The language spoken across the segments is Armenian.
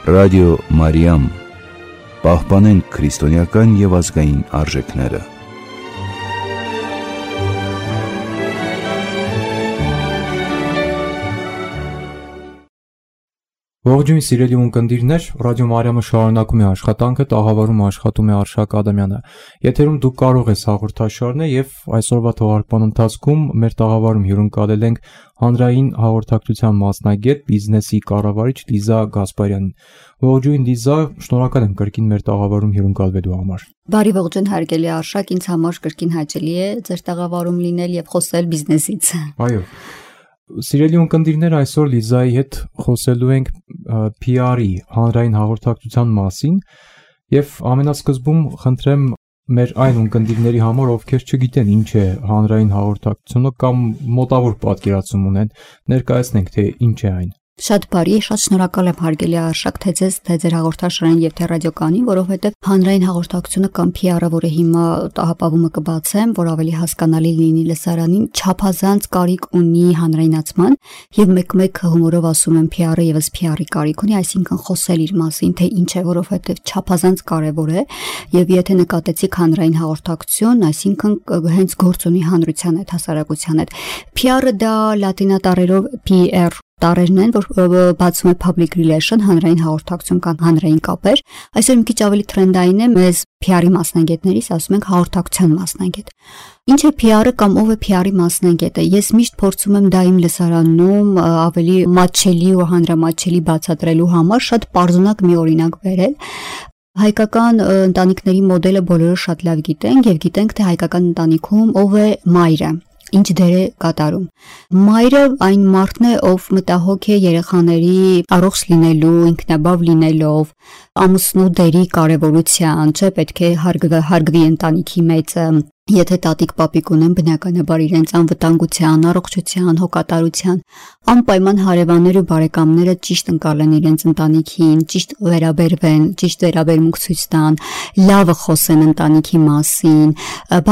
Ռադիո Մարիամ, պահպանենք քրիստոնեական և ազգային արժեքները։ Ողջույն սիրելի ունկնդիրներ, Ռադիո Մարիամը շարունակում է աշխատանքը, տաղավարում աշխատում է Արշակ Ադամյանը։ Եթերում դուք կարող եք հաղորդաշարն եւ այսօրվա թողարկման ընթացքում մեր տաղավարում հյուրընկալել ենք հանրային հաղորդակցության մասնագետ, բիզնեսի կառավարիչ Լիզա Գասպարյանին։ Ողջույն Լիզա, շնորհակալ եմ կրկին մեր տաղավարում հյուրընկալվելու համար։ Բարի ողջույն հարգելի Արշակ, ինձ համար կրկին հաճելի է ձեր տաղավարում լինել եւ խոսել բիզնեսից։ Այո։ Սիրելի ունկնդիրներ, այսօր Լիզայի հետ խոսելու ենք PR-ի, հանրային հաղորդակցության մասին եւ ամենասկզբում խնդրեմ մեր այն ունկնդիրների համար, ովքեր չգիտեն ինչ է հանրային հաղորդակցությունը կամ մոտավոր պատկերացում ունեն, ներկայացնենք թե ինչ է այն։ Շատ բարի, շատ շնորհակալ եմ հարգելի Արշակ, թե ձեզ, թե ձեր հաղորդաշարին եւ թե ռադիոկանին, որովհետեւ հանրային հաղորդակցությունը կամ PR-ը, որը հիմա տաղապավումը կբացեմ, որ ավելի հասկանալի լինի լսարանին, չափազանց կարիք ունի հանրայնացման եւ մեկ-մեկ հումորով ասում եմ PR-ը եւս PR-ի կարիք ունի, այսինքն խոսել իր մասին, թե ինչ է, որովհետեւ չափազանց կարեւոր է եւ եթե նկատեցիք հանրային հաղորդակցություն, այսինքն հենց գործ ունի հանրության հետ, հասարակության հետ։ PR-ը դա լատինատառերով PR տարերն են, որ բացում է public relation, հանրային հաղորդակցություն կամ հանրային կապեր։ Այսօր մի քիչ ավելի թրենդային է, մեզ PR-ի մասնագետներից ասում ենք հաղորդակցության մասնագետ։ Ինչ է PR-ը կամ ով է PR-ի մասնագետը։ Ես միշտ փորձում եմ դա իմ լսարանում ավելի մատչելի ու հանրամատչելի բացատրելու համար շատ պարզունակ մի օրինակ բերել։ Հայկական ընտանիքների մոդելը բոլորը շատ լավ գիտենք եւ գիտենք, թե հայկական ընտանիքում ով է մայրը։ Ինչ դեր է կատարում։ Մայրը այն մարդն է, ով մտահոգ է երեխաների առողջ լինելու, ինքնաբավ լինելով, ամուսնու դերի կարևորության, չէ՞, պետք է հարգվի ընտանիքի մեծը։ Եթե տատիկ պապիկ ունեն, բնականաբար իրենց անվտանգության, առողջության, հոգատարության, անպայման հարևաններ ու բարեկամները ճիշտ ընկալեն իրենց ընտանիքին, ճիշտ վերաբերվեն, ճիշտ վերաբերմունք ցույց տան, լավը խոսեն ընտանիքի մասին,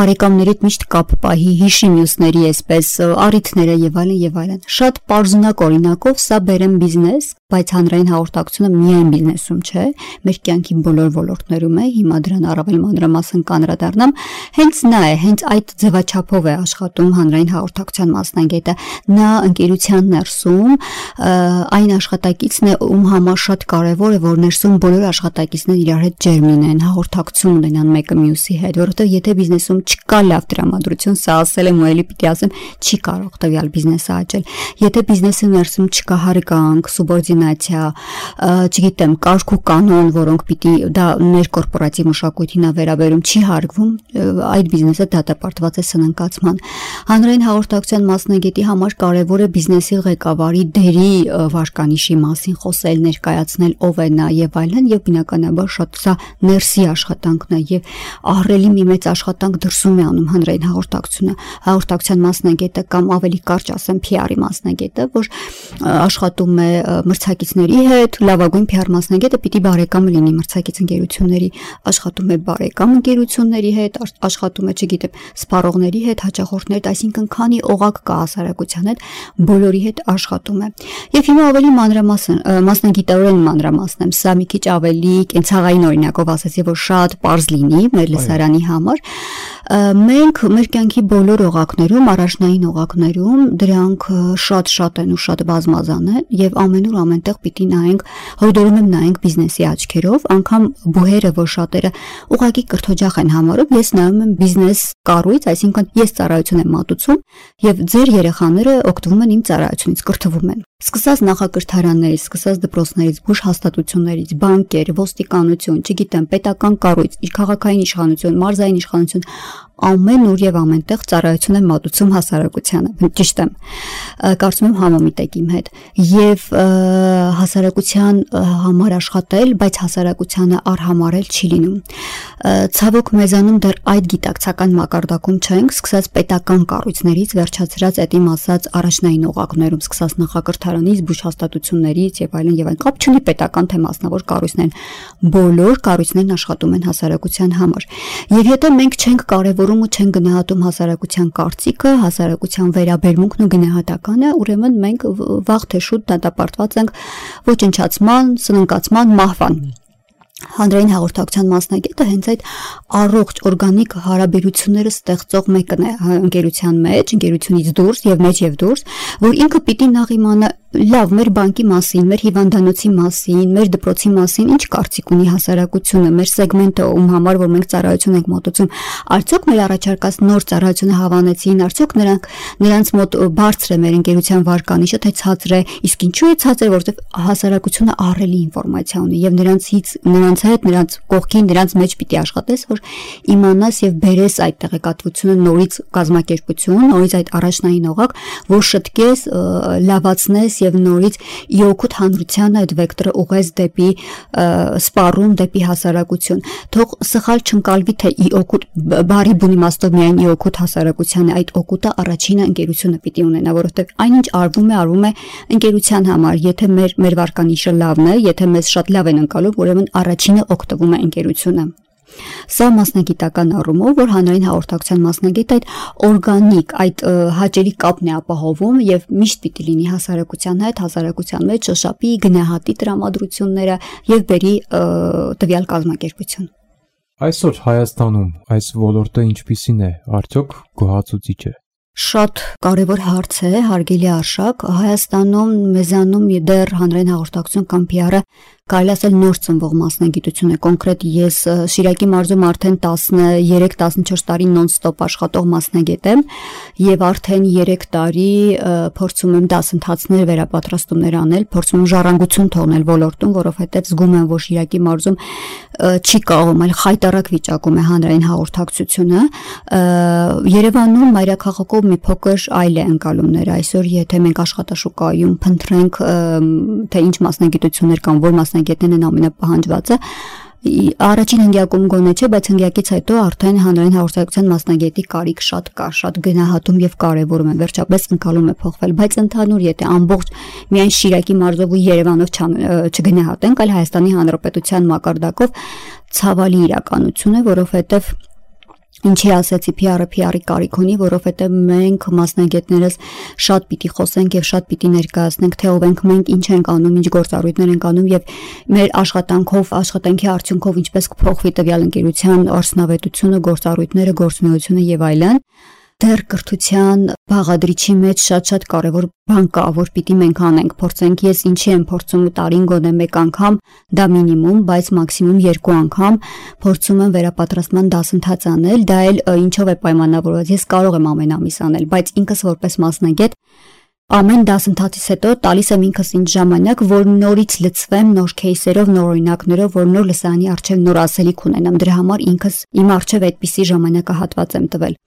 բարեկամներից միշտ կապ պահի, հիշի մյուսների այսպես առիթները եւ այլն եւ այլն։ Շատ պարզունակ օրինակով սա բերեմ բիզնես, բայց հանրային հաղորդակցությունը միայն բիզնեսում չէ, մեր կյանքի բոլոր ոլորտներում է, հիմա դրան առավել մանրամասն կանրադառնամ, հենց նա է, հենց այդ ձևաչափով է աշխատում հանրային հաղորդակցության մասնագետը, նա ընկերության ներսում այն աշխատակիցն է, ում համար շատ կարևոր է, որ ներսում բոլոր աշխատակիցները իրար հետ ջերմ լինեն, հաղորդակցություն ունենան մեկը մյուսի հետ, որովհետև եթե բիզնեսում չկա լավ տրամադրություն, սա ասել եմ ու էլի պիտի ասեմ, չի կարող տվյալ բիզնեսը աճել։ Եթե բիզնեսի ներսում չկա հարգանք, սուբորդինացիա, չգիտեմ, կարգ ու կանոն, որոնք պիտի դա ներկորպորատիվ մշակույթին է վերաբերում, չի հարգվում, այդ բիզնեսը դատապարտված է սնանկացման։ Հանրային հաղորդակցության մասնագետի համար կարևոր է բիզնեսի ղեկավարի դերի վարկանիշի մասին խոսել, ներկայացնել ով է նա եւ այլն, եւ բնականաբար շատ սա ներսի աշխատանքն է եւ ահռելի մի մեծ աշխատանք դրսում է անում հանրային հաղորդակցությունը։ Հաղորդակցության մասնագետը կամ ավելի կարճ ասեմ PR-ի մասնագետը, որ աշխատում է մրցակիցների հետ, լավագույն PR մասնագետը պիտի բարեկամ լինի մրցակից ընկերությունների, աշխատում է բարեկամ ընկերությունների հետ, աշխատում է, չգիտեմ, սպառողների հետ, հաճախորդների հետ, այսինքն քանի օղակ կա հասարակության հետ, բոլորի հետ աշխատում է։ Եվ հիմա ավելի մանրամասն, մասնագիտորեն մանրամասն եմ, սա մի քիչ ավելի կենցաղային օրինակով ասացի, որ շատ պարզ լինի մեր լսարանի համար։ Մենք մեր կյանքի բոլոր օղակներում, առաջնային օղակներում դրանք շատ են ու շատ բազմազան են եւ ամենուր ամենտեղ պիտի նայենք, հորդորում եմ նայենք բիզնեսի աչքերով, անգամ բուհերը, որ շատերը ուղղակի կրթօջախ են համարում, ես նայում եմ բիզնես կառույց, այսինքն ես ծառայություն եմ մատուցում եւ ձեր երեխաները օգտվում են իմ ծառայությունից, կրթվում են։ Սկսած նախակրթարաններից, սկսած դպրոցներից, բուժ հաստատություններից, բանկեր, ոստիկանություն, չգիտեմ, պետական կառույց, քաղաքային իշխանություն, մարզային իշխանություն, ամեն ուր եւ ամենտեղ ծառայություն եմ մատուցում հասարակությանը։ Ճիշտ եմ։ Կարծում եմ համամիտ եք իմ հետ։ Եվ հասարակության համար աշխատել, բայց հասարակությանը արհամարել չի լինում։ Ցավոք մեզանում դեռ այդ գիտակցական մակարդակում չենք, սկսած պետական կառույցներից, վերջացրած այդ իմ ասած առաջնային օղակներում, սկսած նախակրթարաններից, կառավարության զբոսաշտություններից եւ այլն եւ այն կապ չունի պետական թե մասնավոր կառույցներն, բոլոր կառույցներն աշխատում են հասարակության համար։ Եվ եթե մենք չենք կարևորում ու չենք գնահատում հասարակության կարծիքը, հասարակության վերաբերմունքն ու գնահատականը, ուրեմն մենք վաղ թե շուտ դատապարտված ենք ոչնչացման, սնանկացման, մահվան։ Հանրային հաղորդակցության մասնագետը հենց այդ առողջ օրգանիկ հարաբերությունները ստեղծող մեկն է ընկերության մեջ, ընկերությունից դուրս եւ մեջ եւ դուրս, որ ինքը պիտի նախ իմանա լավ մեր բանկի մասին, մեր հիվանդանոցի մասին, մեր դպրոցի մասին ինչ կարծիք ունի հասարակությունը, մեր սեգմենտը ում համար որ մենք ծառայություն ենք մոտեցում, արդյոք մեր առաջարկած նոր ծառայությունը հավանեցին, արդյոք նրանց մոտ բարձր է մեր ընկերության վարկանիշը, թե ցածր է, իսկ ինչու է ցածր, որովհետեւ հասարակությունը ահռելի ինֆորմացիա ունի եւ նրանց հետ, նրանց կողքին, նրանց մեջ պիտի աշխատես, որ իմանաս եւ բերես այդ տեղեկատվությունը նորից կազմակերպություն, նորից այդ առաջնային օղակ, որ շտկես, լավացնես եւ նորից իօգուտ հանրության այդ վեկտորը ուղղես դեպի սպառում, դեպի հասարակություն։ Թող սխալ չընկալվի, թե իօգուտ բարի բուն իմաստով միայն իօգուտ հասարակության է, այդ օգուտը առաջինը ընկերությունը պիտի ունենա, որովհետեւ այնինչ արվում է ընկերության համար, եթե մեր վարկանիշը լավն է, եթե մեզ շատ լավ են ընկալում, ուրեմն առաջինը օգտվում է ընկերությունը։ Սա մասնագիտական առումով, որ հանրային հաղորդակցության մասնագետ այդ օրգանիկ, այդ հաճելի կապն է ապահովում եւ միշտ պիտի լինի հասարակության հետ, հասարակության մեջ շոշափի, գնահատի տրամադրությունները եւ բերի տվյալ կազմակերպություն։ Այսօր Հայաստանում այս ոլորտը ինչպիսին է, արդյոք գոհացուցիչ է։ Շատ կարևոր հարց է, հարգելի Արշակ, Հայաստանում մեզանում դեռ հանրային հաղորդակցություն կամ PR-ը կարելի ասել նոր ծնվող մասնագիտություն է, կոնկրետ ես Շիրակի մարզում արդեն 13-14 տարի նոն-ստոպ աշխատող մասնագետ եմ եւ արդեն 3 տարի փորձում եմ դասընթացներ վերապատրաստումներ անել, փորձում եմ ժառանգություն թողնել ոլորտում, որովհետեւ զգում եմ, որ Շիրակի մարզում չի կարողում այլ խայտարակ վիճակում է հանրային հաղորդակցությունը։ Երևանում մայրաքաղաքով մի փոքր այլ է ընկալումները։ Այսօր եթե մենք աշխատաշուկայում փնտրենք թե ինչ մասնագիտություններ կան, որ մասնագետներն են ամենապահանջվածը, առաջին հնգյակում գոնե չէ, բայց հնգյակից հետո արդեն հանրային հաղորդակցության մասնագետի կարիք շատ կա, շատ գնահատում եւ կարեւորում է, վերջապես ընկալում է փոխվել, բայց ընդհանուր եթե ամբողջ միայն Շիրակի մարզով ու Երևանով չգնահատենք, այլ Հայաստանի Հանրապետության մակարդակով ցավալի իրականություն է, որովհետեւ Ինչի ասեցի PR-ի կարիք ունի, որովհետև մենք մասնագետներս շատ պիտի խոսենք եւ շատ պիտի ներկայացնենք, թե ով ենք մենք, ինչ ենք անում, ինչ գործառույթներ ենք անում եւ մեր աշխատանքի արդյունքով ինչպես կփոխվի տվյալ ընկերության արդյունավետությունը, գործառույթները, գործունեությունը եւ այլն։ Դեռ կրթության բաղադրիչի մեջ շատ կարևոր բան կա, որ պիտի մենք անենք, փորձենք, ես ինչի եմ փորձում տարին գոնե 1 անգամ, դա մինիմում, բայց մաքսիմում 2 անգամ փորձում եմ վերապատրաստման դասընթաց անել, դա էլ ինչով է պայմանավորված, ես կարող եմ ամեն ամիս անել, բայց ինքս որպես մասնագետ ամեն դասընթացից հետո տալիս եմ ինքս ինձ ժամանակ, որ նորից լցվեմ նոր кейսերով, նոր օրինակներով, որ նոր լսարանի առջև նոր ասելիք ունենամ, դրա համար ինքս իմ առջև այդպիսի ժամանակահատված եմ տվել։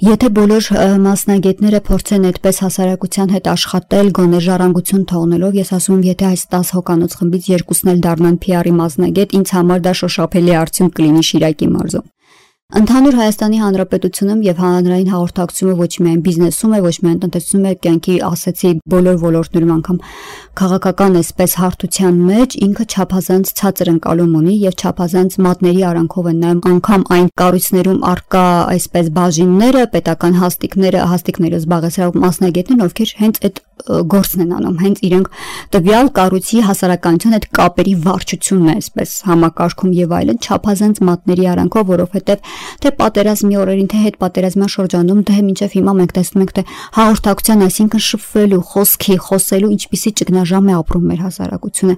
Եթե բոլոր մասնագետները փորձեն այդպես հասարակության հետ աշխատել, գոնե ժառանգություն թողնելով, ես ասում եմ, եթե այս 10 հոկանոց խմբից 2-ն էլ դառնան PR-ի մասնագետ, ինձ համար դա շոշափելի արդյունք կլինի Շիրակի մարզում։ Ընդհանուր Հայաստանի Հանրապետությունում եւ հանրային հաղորդակցությունը ոչ միայն բիզնեսում է, ոչ միայն տնտեսությունում է, կյանքի ասեցի բոլոր ոլորտներում, անգամ քաղաքական այսպես հարթության մեջ ինքը չափազանց ցածր ընկալում ունի եւ չափազանց մատների արանքով են նայում անգամ այն կառույցներում արկա այսպես բաժինները, պետական հաստիկները զբաղեցրող մասնագետներն, ովքեր հենց այդ գործն են անում, հենց իրենք տվյալ կառույցի հասարակայնության հետ կապերի վարչությունն է այսպես համակարգում եւ այլն, չափազանց մատների արանքով, որովհետեւ թե պատերազմի օրերին, թե հետ պատերազմյան շրջանում, թե մինչև հիմա մենք տեսնում ենք, թե հաղորդակցության, այսինքն շփվելու, խոսելու ինչպիսի ճգնաժամ է ապրում մեր հասարակությունը։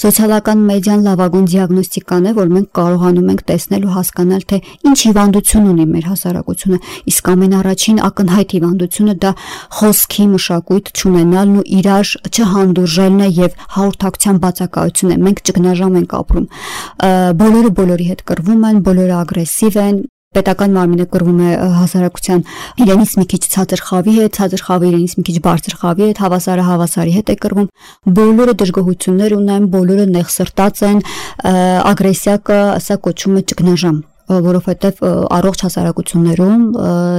Սոցիալական մեդիան լավագույն դիագնոստիկան է, որ մենք կարողանում ենք տեսնել ու հասկանալ, թե ինչ հիվանդություն ունի մեր հասարակությունը, իսկ ամենառաջին ակնհայտ հիվանդությունը դա խոսքի մշակույթ չունենալն ու իրար չհանդուրժելն է եւ հաղորդակցության բացակայությունն է։ Մենք ճգնաժամ ենք ապրում։ Բոլորը բոլորի հետ կռվում են, բոլորը ագրեսիվ են, պետական մարմինը կռվում է հասարակության իրենից մի քիչ ցածր խավի հետ, ցածր խավը իրենից մի քիչ բարձր խավի հետ, հավասարը հավասարի հետ է կռվում, բոլորը դժգոհություններ ունեն, բոլորը նեղսրտած են, ագրեսիա կա, սա կոչվում է ճգնաժամ, որովհետև առողջ հասարակություններում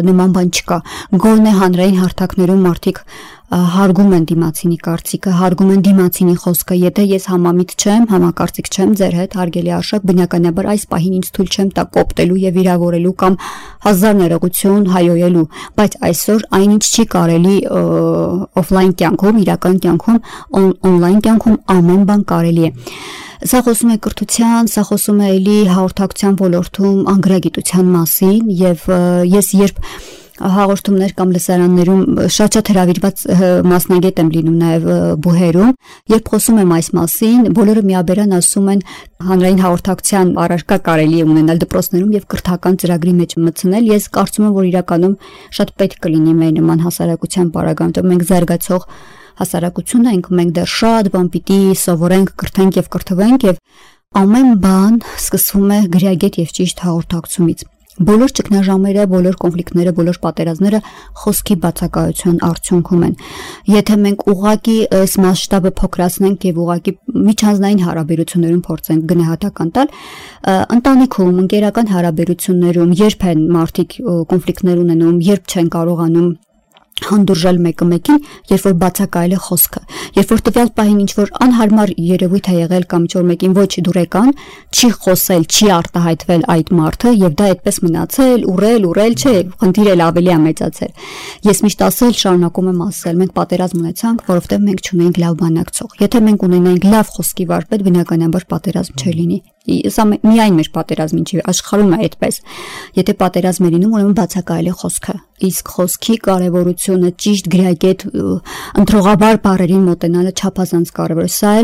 նման բան չկա։ Գոնե հանրային հարթակներում մարդիկ հարգում են դիմացինի կարծիքը, հարգում են դիմացինի խոսքը։ Եթե ես համամիտ չեմ, համակարծիք չեմ ձեր հետ, հարգելի Արշակ, բնականաբար այս պահին ինձ թույլ չեմ տա կոպտելու եւ վիրավորելու կամ հազար ներողություն հայոյելու, բայց այսօր այնինչ չի կարելի օֆլայն կյանքում, իրական կյանքում, օնլայն կյանքում ամեն բան կարելի է։ Սա խոսում է կրթության, սա խոսում է էլի հաղորդակցության ոլորտում անգրագիտության մասին եւ ես երբ հաղորդումներ կամ լսարաններում շատ հրավիրված մասնագետ եմ լինում նաև բուհերում, երբ խոսում եմ այս մասին, բոլորը միաբերան ասում են հանրային հաղորդակցության առարկա կարելի է ունենալ դպրոցներում եւ կրթական ծրագրի մեջ մտցնել։ Ես կարծում եմ, որ իրականում շատ պետք կլինի մեր նման հասարակության պարագայում, մենք զարգացող հասարակություն ենք, մենք դեռ շատ բան պիտի սովորենք, կրթենք եւ կրթվենք եւ ամեն բան սկսվում է գրագետ եւ ճիշտ հաղորդակցումից։ Բոլոր ճգնաժամերը, բոլոր կոնֆլիկտները, բոլոր պատերազմները խոսքի բացակայության արդյունքում են։ Եթե մենք ուղղակի այս մասշտաբը փոքրացնենք եւ ուղղակի միջանձնային հարաբերություններում փորձենք գնահատական տալ, ընտանիքում, ընկերական հարաբերություններում երբ են մարդիկ կոնֆլիկտներ ունենում, երբ չեն կարողանում հանդուրժել մեկը մեկին, երբ որ բացակայել է խոսքը, երբ որ տվյալ պահին ինչ որ անհարմար երևույթ է եղել կամ ինչ որ մեկին ոչ դուրեկան, չի խոսել, չի արտահայտվել այդ մարդը եւ դա այդպես մնացել, ուռել, չէ, խնդիրը ավելի է մեծացել։ Ես միշտ ասել, շարունակում եմ ասել, մենք պատերազմ ունեցանք, որովհետեւ մենք չունենք լավ բանակցող։ Եթե մենք ունենայինք լավ խոսքի վարպետ, բնականաբար պատերազմ չլինի։ Սա միայն մեր պատերազմին չի, աշխարհում է այդպես։ Եթե պատերազմ է լինում, ուրեմն բացակայել է խոսքը։ Իսկ խոսքի կարևորությունը ճիշտ գրագետ ընտրողաբար բառերին մոտենալը չափազանց կարևոր է։ Սա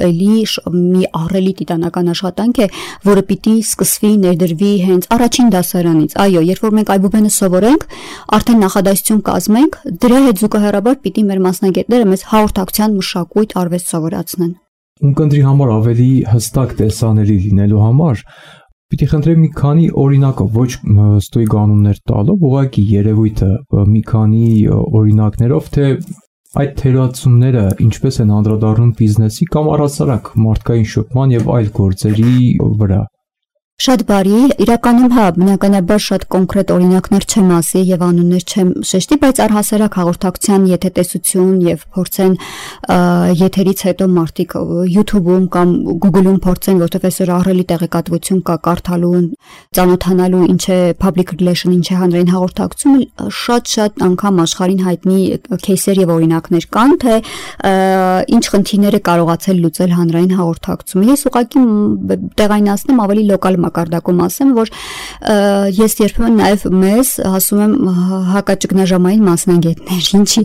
էլի մի ահռելի տիտանական աշխատանք է, որը պիտի սկսվի, ներդրվի հենց առաջին դասարանից։ Այո, երբ որ մենք այբուբենը սովորենք, արդեն նախադասություն կազմենք, դրա հետ զուգահեռաբար պիտի մեր մասնագետները մեզ հաղորդակցության մշակույթ արվեստ սովորացնեն։ Ունկնդրի համար ավելի հստակ տեսանելի լինելու համար պիտի խնդրեմ մի քանի օրինակով, ոչ ստույգ անուններ տալով, ուղղակի երևույթը մի քանի օրինակներով, թե այդ թերացումները ինչպես են անդրադառնում բիզնեսի կամ առհասարակ մարդկային շփման եւ այլ գործերի վրա։ Շատ բարի, իրականում հա, բնականաբար շատ կոնկրետ օրինակներ չեմ ասի եւ անուններ չեմ շեշտի, բայց առհասարակ հաղորդակցության եթե տեսություն եւ փորձեն եթերից հետո մարդիկ YouTube-ում կամ Google-ում փորձեն, որտեղ այսօր ահռելի տեղեկատվություն կա կարդալու, ծանոթանալու ինչ է public relation, ինչ է հանրային հաղորդակցություն, շատ անգամ աշխարհին հայտնի кейսեր եւ օրինակներ կան, թե ինչ խնդիրներ է կարողացել լուծել հանրային հաղորդակցումը։ Ես ուղղակի տեղայնացնեմ ավելի լոկալ մակարդակում ասեմ, որ ես երբեմն նաև մեզ ասում եմ հակաճգնաժամային մասնագետներ, ինչի,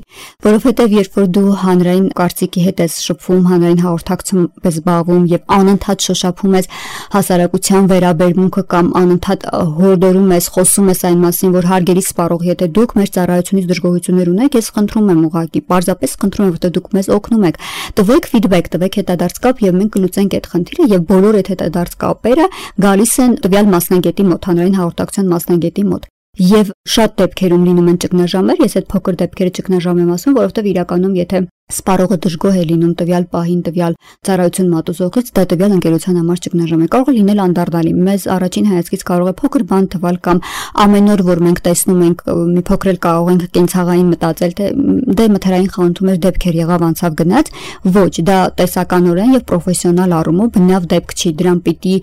որովհետև երբ որ դու հանրային կարծիքի հետ ես շփվում, հանրային հաղորդակցում ես զբաղվում եւ անընդհատ շոշափում ես հասարակության վերաբերմունքը կամ անընդհատ հորդորում ես, խոսում ես այն մասին, որ հարգելի սպառող, եթե դուք մեր ծառայությունից դժգոհություններ ունեք, ես խնդրում եմ ուղղակի, պարզապես խնդրում եմ, որտեղ դուք մեզ օգնում եք, տվեք ֆիդբեք, տվեք հետադարձ կապ եւ մենք կլուծենք այդ խնդիրը եւ բոլոր այդ հետադարձ կապերը գալիս են տվյալ մասնագետի մոտ, հանրային հաղորդակցության մասնագետի մոտ։ Եվ շատ դեպքերում լինում են ճգնաժամեր, ես այդ փոքր դեպքերը ճգնաժամ եմ ասում, որովհետև իրականում եթե սպառողը դժգոհ է լինում տվյալ պահին տվյալ ծառայություն մատուցողից, դա տվյալ ընկերության համար ճգնաժամ է, կարող է լինել անդարդալի։ Մեզ առաջին հայացքից կարող է փոքր բան թվալ կամ ամեն օր որ մենք տեսնում ենք մի փոքր էլ կարող ենք կենցաղային մտածել, թե դե մթերային խանութում էր դեպքեր եղավ անցավ գնաց, ոչ, դա տեսականորեն եւ պրոֆեսիոնալ առումով բնավ դեպք չի, դրան պիտի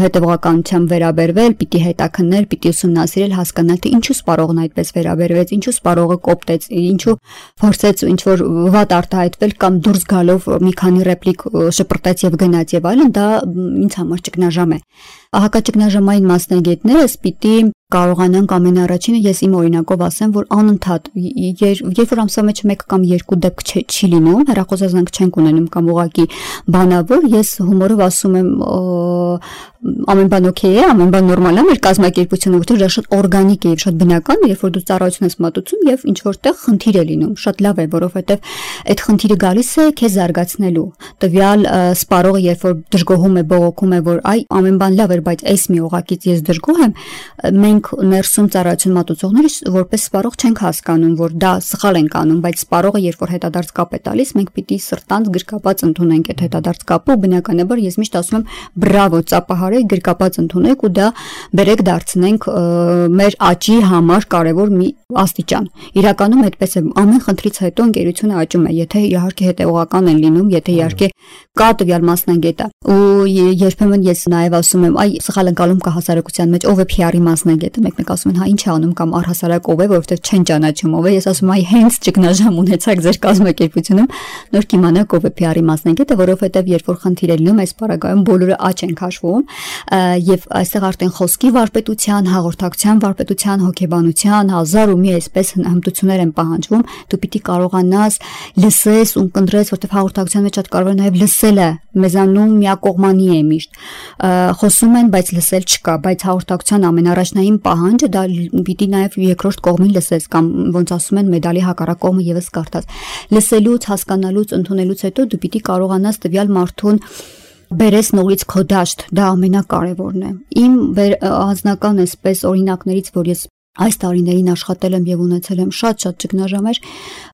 հետևողականությամբ վերաբերվել, պիտի հետաքննել, պիտի ուսումնասիրել, հասկանալ, թե ինչու սպառողն այդպես վերաբերվեց, ինչու սպառողը կոպտեց, ինչու փորձեց ինչ որ արտահայտվել կամ դուրս գալով մի քանի ռեպլիկ շպրտեց եւ գնաց եւ այլն, դա ինձ համար ճգնաժամ է։ Հակաճգնաժամային մասնագետները պիտի կարողանանք ամենաառաջինը ես իմ օրինակով ասեմ, որ անընդհատ երբ որ ամսվա մեջ 1 կամ 2 դեպք չի լինում, հեռախոսազանգ չենք ունենում կամ ուղղակի բանավոր, ես հումորով ասում եմ ամեն բան օքեյ է, ամեն բան նորմալ է, մեր կազմակերպությունը, որտեղ դա շատ օրգանիկ է եւ շատ բնական, երբ որ դու ծառայություն ես մատուցում եւ ինչ որտեղ խնդիր է լինում, շատ լավ է, որովհետեւ այդ խնդիրը գալիս է քեզ զարգացնելու։ Տվյալ սպառողը երբ որ դժգոհում է, բողոքում է, որ այ ամեն բան լավ էր, բայց այս մի օղակից ես դժգոհ եմ, մենք մենք ներսում ծառայություն մատուցողները որպես սպառող չենք հասկանում, որ դա սխալ ենք անում, բայց սպառողը երբ որ հետադարձ կապ է տալիս, մենք պիտի սրտանց գրկապած ընդունենք այդ հետադարձ կապը, բնականաբար ես միշտ ասում եմ բրավո, ծափահարեք, գրկապած ընդունեք ու դա բերեք դարձնենք մեր աճի համար կարևոր մի աստիճան։ Իրականում այդպես է, ամեն խնդրից հետո ընկերությունը աճում է, եթե իհարկե հետևողական են լինում, եթե իհարկե կա տվյալ մասնագետը։ Ու երբեմն ես նաև ասում եմ, այ սխալ ընկալում կա հասարակության մեջ, ով է PR-ի մասնագետը, մեկն ասում են, հա ինչ է անում կամ առհասարակ ով է, որովհետև չեն ճանաչում ով է։ Ես ասում եմ, այ հենց ճգնաժամ ունեցաք ձեր կազմակերպությունում, նոր կիմանաք ով է PR-ի մասնագետը, որովհետև երբ որ խնդիր է լինում, այս պարագայում բոլորը աճ են քաշվում, եւ այստեղ արդեն խոսքի վարպետության, հաղորդակցության վարպետության, հոգեբանության, հազար ու մի այսպես հմտություններ են պահանջվում, դու պիտի կարողանաս լսես ու կընտրես, որովհետև հաղորդակցության մեջ շատ կարևոր է նաև լսելը, մեզանում միակողմանի է միշտ։ Խոսում են, բայց լսել չկա, բայց հաղորդակցության ամենառաջնային պահանջը դա պիտի նաև երկրորդ կողմին լսես կամ ոնց ասում են մեդալի հակառակ կողմը եւս կարդաս։ Լսելուց, հասկանալուց, ընդունելուց հետո դու պիտի կարողանաս տվյալ մարդուն բերես նորից քո դաշտ, դա ամենակարևորն է։ Իմ անձնական այսպես օրինակներից, որ ես այս տարիներին աշխատել եմ եւ ունեցել եմ շատ ճգնաժամեր,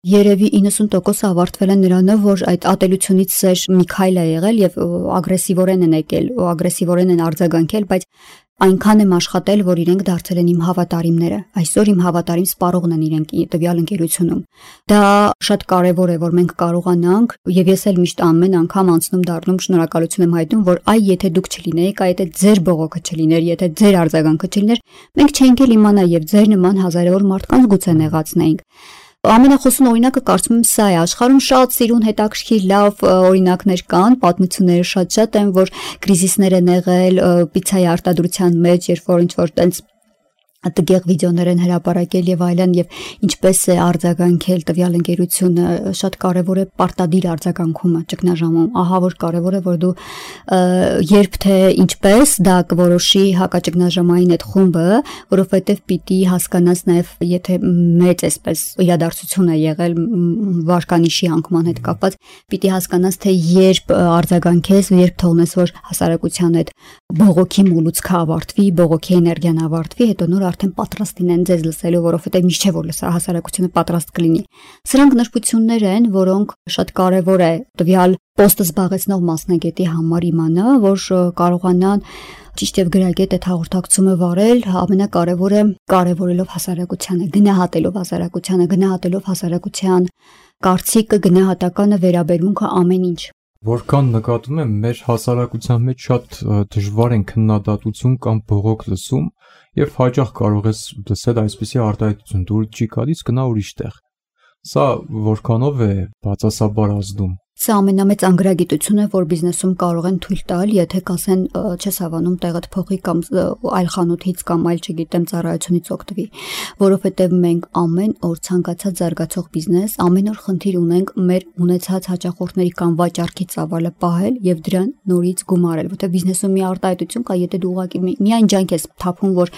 երևի 90% ավարտվել են նրանով, որ այդ ատելությունից սեր մի քայլ է եղել եւ ագրեսիվորեն են եկել, ու ագրեսիվորեն են արձագանքել, բայց այնքան եմ աշխատել, որ իրենք դարձել են իմ հավատարիմները։ Այսօր իմ հավատարիմ սպառողն են իրենք տվյալ ընկերությունում։ Դա շատ կարևոր է, որ մենք կարողանանք, եւ ես էլ միշտ ամեն անգամ անցնում դառնում շնորհակալություն եմ հայտնում, որ այ եթե դուք չլինեիք, այ եթե ձեր բողոքը չլիներ, եթե ձեր արձագանքը չլիներ, մենք չենք էլ իմանա եւ ձեր նման հազարավոր մարդկանց գուցե նեղացնեինք։ Ամենախոսուն օրինակը կարծում եմ սա է, աշխարհում շատ սիրուն հետաքրքիր լավ օրինակներ կան, պատմությունները շատ են, որ կրիզիսներ են եղել պիցցայի արտադրության մեջ, երբ որ ինչ-որ տենց տգեղ վիդեոներ են հրապարակել եւ այլն, եւ ինչպես է արձագանքել տվյալ ընկերությունը, շատ կարեւոր է պարտադիր արձագանքումը ճգնաժամում, ահա որ կարեւոր է, որ դու երբ թե ինչպես դա կորոշի հակաճգնաժամային այդ խումբը, որովհետեւ պիտի հասկանաս նաեւ, եթե մեծ այսպես իրադարձություն է եղել վարկանիշի անկման հետ կապված, պիտի հասկանաս, թե երբ արձագանքես, երբ թողնես, որ հասարակության այդ բողոքի մոլուցքը ավարտվի, բողոքի էներգիան ավարտվի, հետո նոր արդեն պատրաստ լինեն ձեզ լսելու, որովհետև միշտ չէ որ հասարակությունը պատրաստ կլինի։ Սրանք նշություններ են, որոնք շատ կարևոր է տվյալ պոստը զբաղեցնող մասնագետի համար իմանա, որ կարողանան ճիշտ եւ գրագետ այդ հաղորդակցումը վարել, ամենակարևորը կարևորելով հասարակությանը, գնահատելով հասարակության կարծիքը, գնահատականը, վերաբերմունքը, ամեն ինչ։ Որքան նկատում եմ, մեր հասարակության մեջ շատ դժվար են քննադատություն կամ բողոք լսում եւ հաճախ կարող ես լսել այսպիսի արտահայտություն, դու չի գալիս, գնա ուրիշ տեղ։ Սա որքանով է բացասաբար ազդում։ Սա ամենամեծ անգրագիտությունը, որ բիզնեսում կարող են թույլ տալ, եթե կասեն չես հավանում տեղդ փոխի կամ այլ խանութից կամ այլ, չգիտեմ, ծառայությունից օգտվի, որովհետև մենք ամեն օր ցանկացած զարգացող բիզնես, ամեն օր խնդիր ունենք մեր ունեցած հաճախորդների կամ վաճառքի ծավալը պահել եւ դրան նորից գումարել, որովհետև բիզնեսում մի արտահայտություն կա, եթե դու ուղղակի միայն ջանք ես թափում, որ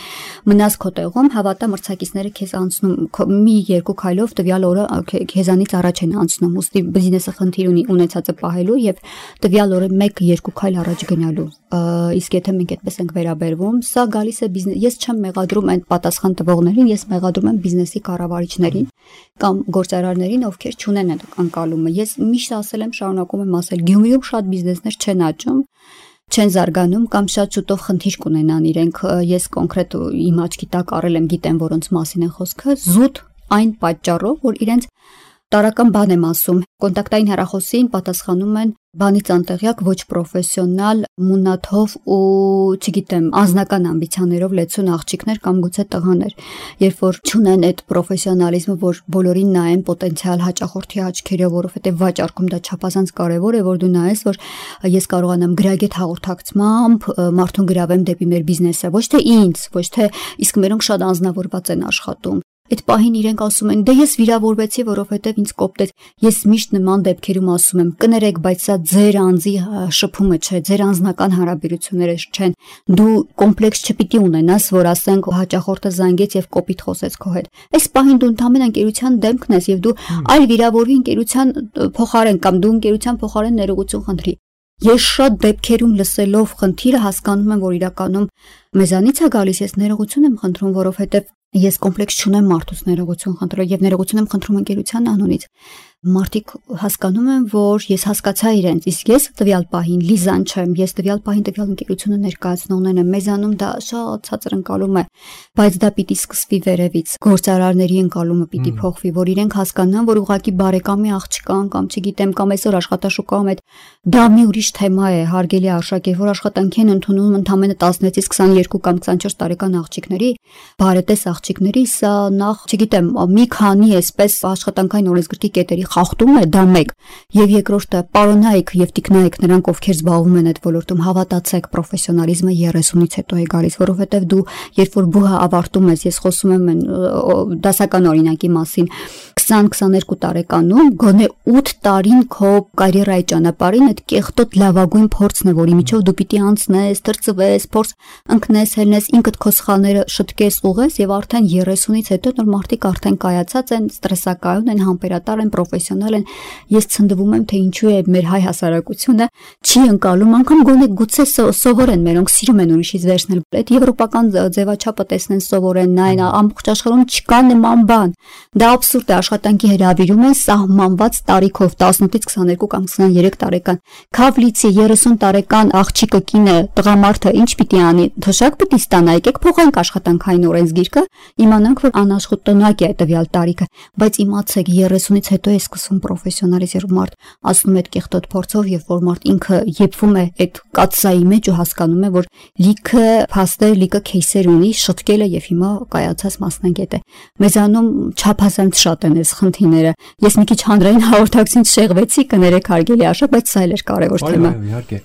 մնաս քո տեղում, հավատա մրցակիցները քեզ անցնում մի երկու քայլով տվյալ օրը քեզանից առաջ են անցնում, ուստի բիզնեսը խնդիր ունի ունեցածը պահելու եւ տվյալ օրը 1-2 քայլ առաջ գնալու։ Իսկ եթե մենք այդպես ենք վերաբերվում, սա գալիս է բիզնես։ Ես չեմ մեղադրում այն պատասխան տվողներին, ես մեղադրում եմ բիզնեսի կառավարիչներին կամ գործարարներին, ովքեր չունեն այդ անկալումը։ Ես միշտ ասել եմ, շարունակում եմ ասել, Գյումրիում շատ բիզնեսներ չեն աճում, չեն զարգանում կամ շատ շուտով խնդիր կունենան իրենք։ Ես կոնկրետ իմ աչքի տակ առել եմ, գիտեմ որոնց մասին է խոսքը, զուտ այն պատճառով, որ իրենց տարական բան եմ ասում, կոնտակտային հեռախոսին պատասխանում են բանից անտեղյակ, ոչ պրոֆեսիոնալ, մունաթով ու, չգիտեմ, անձնական ամբիցիաներով լեցուն աղջիկներ կամ գուցե տղաներ, երբ որ չունեն այդ պրոֆեսիոնալիզմը, որ բոլորին նայեն պոտենցիալ հաճախորդի աչքերով, որովհետև վաճառքում դա չափազանց կարևոր է, որ դու նայես, որ ես կարողանամ գրագետ հաղորդակցմամբ մարդուն գրավեմ դեպի մեր բիզնեսը, ոչ թե ինձ, ոչ թե իսկ մերոնք շատ անձնավորված են աշխատում։ Այդ պահին իրենք ասում են, դե ես վիրավորվեցի, որովհետև ինձ կոպտեց։ Ես միշտ նման դեպքերում ասում եմ, կներեք, բայց սա ձեր անձի շփումը չէ, ձեր անձնական հարաբերությունները չեն։ Դու կոմպլեքս չպիտի ունենաս, որ ասենք հաճախորդը զանգեց եւ կոպիտ խոսեց քո հետ։ Այս պահին դու ընդհանրեն ընկերության դեմքն ես եւ դու այլ վիրավորվի ընկերության փոխարեն կամ դու ընկերության փոխարեն ներողություն խնդրի։ Ես շատ դեպքերում լսելով խնդիրը հասկանում եմ, որ իրականում մեզանից է գալիս, ես ներողություն եմ խնդրում, որովհետև ես կոմպլեքս չունեմ մարդուց ներողություն խնդրել եւ ներողություն եմ խնդրում ընկերության անունից։ Մարդիկ հասկանում են, որ ես հասկացա իրենց, իսկ ես տվյալ պահին Լիզան չեմ, ես տվյալ պահին տվյալ ընկերությունը ներկայացնողներն եմ, մեզանում դա շատ ցածր ընկալում է, բայց դա պիտի սկսվի վերևից, գործարարների ընկալումը պիտի փոխվի, որ իրենք հասկանան, որ ուղղակի բարեկամի աղջկան կամ չգիտեմ, կամ այսօր աշխատաշուկայում այդ դա մի ուրիշ թեմա է, հարգելի արժեք է, որ աշխատանքի են ընդունում ընդամենը 16-ից 22 կամ 24 տարեկան աղջիկների, բարետես աղջիկների, սա նախ, չգիտեմ, մի քանի այսպես աշխատանքային օրենսգրքի կետերի խախտում է, դա մեկ, եւ երկրորդը պարոնայք եւ տիկնայք նրանք ովքեր զբաղվում են այդ ոլորտում, հավատացեք, պրոֆեսիոնալիզմը 30-ից հետո է գալիս, որովհետեւ դու երբ որ բուհը ավարտում ես, ես խոսում եմ դասական օրինակի մասին, 20-22 տարեկանում գոնե 8 տարին քո կարիերայի ճանապարհին այդ կեղտոտ լավագույն փորձն է, որի միջով դու պիտի անցնես, թրծվես, փորձ ընկնես, հելնես, ինքդ քո սխալները շտկես, ուղես եւ արդեն 30-ից հետո նոր մարդիկ արդեն կայացած են, ստրեսակայուն են, համբերատար են, պրոֆեսիոնալ են։ Ես ցնդվում եմ, թե ինչու է մեր հայ հասարակությունը չի ընկալում, անգամ գոնե գուցե սովորեն, մերոնք սիրում են ուրիշից վերցնել, այդ եվրոպական ձևաչափը տեսնեն, սովորեն, նայեն, ամբողջ աշխարհում չկա նման բան։ Դա աբսուրդ է, աշխատանքի հրավիրում են սահմանված տարիքով 18-ից 22 կամ 23 տարեկան։ Քավլիցի 30 տարեկան աղջիկը կինը, տղամարդը ինչ պիտի անի, թշակ պիտի ստանա, եկեք փոխենք աշխատանքային օրենսգիրքը, իմանանք, որ անաշխատանակ է տվյալ տարիքը, բայց իմացեք 30-ից հետո է սկսվում պրոֆեսիոնալիզм, մարդ ասում է այդ կեղտոտ փորձով, եւ որ մարդ ինքը եփվում է այդ կաթսայի մեջ ու հասկանում է, որ լիքը փաստեր, լիքը քեյսեր ունի, շտկել է եւ հիմա կայացած մասնագետ է։ Մեզանում չափազանց շատ են այս խնդիրները։ Ես մի քիչ հանրային հաղորդակցություն շեղվեցի, կներեք հարգելի արժեք, բայց սա էլ էր կարևոր թեմա։ Այո, իհարկե։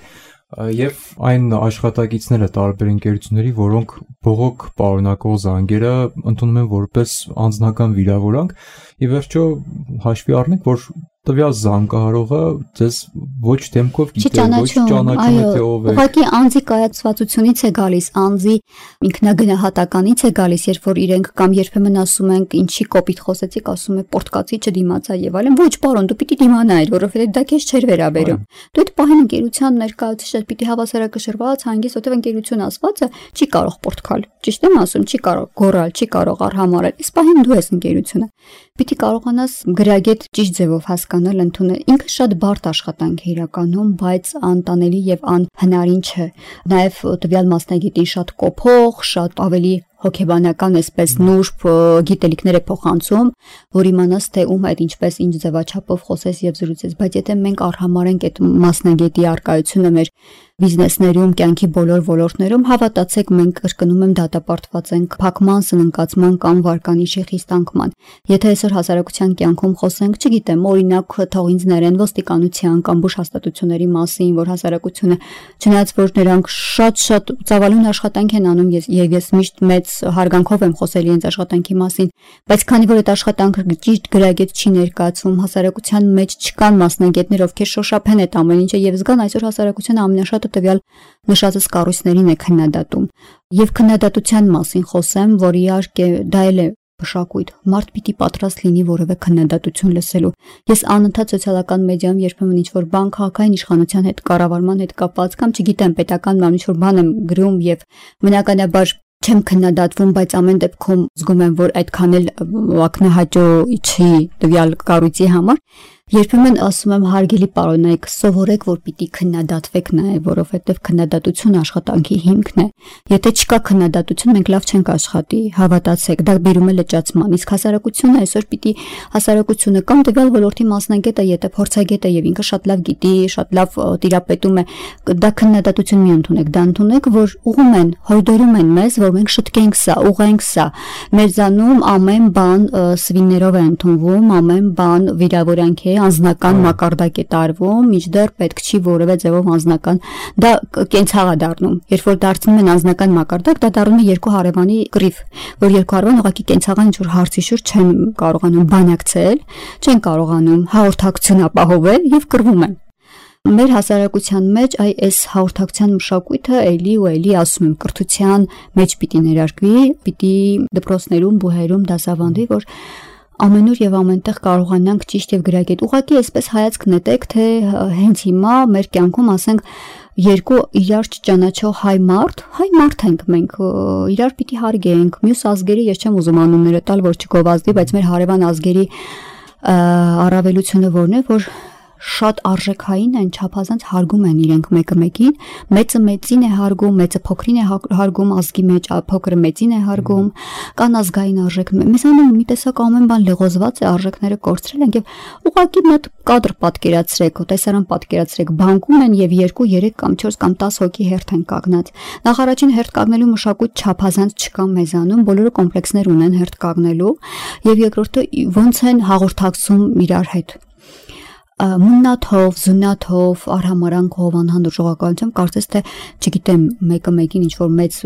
Եվ այն աշխատակիցները տարբեր ընկերությունների, որոնք բողոք պարունակող զանգերը ընդունում են որպես անձնական վիրավորանք, ի վերջո հաշվի առնենք, որ տվյալ զանգահարողը ձեզ ոչ դեմքով գիտե, ոչ ճանաչում է թե ով է։ Ուղղակի անձի կայացվածությունից է գալիս, անձի ինքնագնահատականից է գալիս, երբ որ իրենք կամ երբեմն ասում են, ինչի կոպիտ խոսեցիք, ասում է պորտկացի չդիմացա եւ այլն։ Ոչ, պարոն, դու պիտի դիմանայիր, որովհետեւ դա քեզ չէր վերաբերում։ Դու այդ պահին ընկերության ներկայացուցիչ պիտի հավասարակշռված, հանգիստ, որովհետեւ ընկերություն ասվածը չի կարող պորտկալ։ Ճիշտ եմ ասում, չի կարող գոռալ, չի կարող արհամարել։ Այս պահին դու ես ընկերությունը։ Պիտի կարողանաս գրագետ ճիշտ ձևով հասկանալ, ընդունել։ Ինքը շատ բարդ աշխատանք է իրականում, բայց անտանելի եւ անհնարին չէ։ Նաեւ տվյալ մասնագետին շատ կոփող, շատ ավելի հոգեբանական այսպես նուրբ գիտելիքներ է փոխանցում, որ իմանաս թե ում այդ ինչպես ինչ ձևաչափով խոսես եւ զրուցես, բայց եթե մենք արհամարենք այդ մասնագետի արկայությունը մեր բիզնեսներում, կյանքի բոլոր ոլորտներում, հավատացեք, մենք կրկնում եմ դատապարտված ենք փակման, սննկացման կամ վարկանիշի խիստ անկման։ Եթե այսօր հասարակության կյանքում խոսենք, չգիտեմ, օրինակ թող ինձ ներեն ոստիկանության կամ բուժ հաստատությունների մասին, որ հասարակությունը, չնայած որ նրանք շատ ծավալուն աշխատանք են անում, ես միշտ մեծ հարգանքով եմ խոսել իրենց աշխատանքի մասին, բայց քանի որ այդ աշխատանքը ճիշտ գրագետ չի ներկայացվում, հասարակության մեջ չկան մասնագետներ, ովքեր շոշափեն այդ ամեն ինչը եւ զգան այսօր հասարակությունը ամենաշատը տվյալ նշածս կառույցներին է քննադատում։ Եվ քննադատության մասին խոսեմ, որ իհարկե դա էլ է մշակույթ, մարդ պիտի պատրաստ լինի որևէ քննադատություն լսելու։ Ես անընդհատ սոցիալական մեդիայում երբեմն ինչ-որ բան քաղաքային իշխանության հետ, կառավարման հետ կապված կամ չգիտեմ պետական բան ինչ-որ բան եմ գրում եւ բնականաբար չեմ քննադատվում, բայց ամեն դեպքում զգում եմ, որ այդքան էլ ակնահայտ չի տվյալ կառույցի համար։ Երբեմն ասում եմ հարգելի պարոնայք, սովորեք, որ պիտի քննադատվեք նաև, որովհետև քննադատությունը աշխատանքի հիմքն է։ Եթե չկա քննադատություն, մենք լավ չենք աշխատի, հավատացեք, դա բերում է լճացման։ Իսկ հասարակությունը այսօր պիտի հասարակությունը կամ տվյալ ոլորտի մասնագետը, եթե փորձագետ է եւ ինքը շատ լավ գիտի, շատ լավ տիրապետում է, դա քննադատություն մի ընդունեք, դա ընդունեք, որ ուղում են, հորդորում են մեզ, որ մենք շտկենք սա, ուղենք սա։ Մեզանում ամեն բան սվիններով է ընդունվում, ամեն բան վիրավորանք է, անձնական մակարդակ է տարվում, միջդեռ պետք չի որևէ ձևով անձնական, դա կենցաղ է դառնում։ Երբ որ դարձնում են անձնական մակարդակ, դա դառնում է երկու հարևանի կռիվ, որ երկու հարևան ուղղակի կենցաղան ինչ-որ հարցի շուրջ չեն կարողանում բանակցել, չեն կարողանում հաղորդակցություն ապահովել եւ կռվում են։ Մեր հասարակության մեջ այս հաղորդակցության մշակույթը էլի ու էլի ասում եմ կրթության մեջ պիտի ներարկվի, պիտի դպրոցներում, բուհերում դասավանդվի, որ ամենուր եւ ամենտեղ կարողանանք ճիշտ եւ գրագետ ուղղակի այսպես հայացք նետեք, թե հենց հիմա մեր կյանքում ասենք երկու իրար չճանաչող հայ մարդ ենք մենք, իրար պիտի հարգենք, մյուս ազգերի ես չեմ ուզում անունները տալ, որ չգովազդի, բայց մեր հարևան ազգերի առավելությունը որն է, որ շատ արժեքային են, չափազանց հարգում են իրենք մեկը մեկին, մեծը մեծին է հարգում, մեծը փոքրին է հարգում, ազգի մեջ փոքրը մեծին է հարգում, կան ազգային արժեքներ։ Մեզանում մի տեսակ ամեն բան լեղոզված է, արժեքները կորցրել են եւ ուղղակի մի հատ կադր պատկերացրեք, տեսարան պատկերացրեք, բանկում են եւ 2, 3 կամ 4 կամ 10 հոգի հերթ են կանգնած։ Նախ առաջին հերթ կանգնելու մշակույթ չափազանց չկա մեզանում, բոլորը կոմպլեքսներ ունեն հերթ կանգնելու եւ երկրորդը ոնց են հաղորդակցում իրար հետ։ Մուննաթով, զուննաթով, արհամարանքով, անհանդուրժողականությամբ կարծես թե, չգիտեմ, մեկը մեկին ինչ-որ մեծ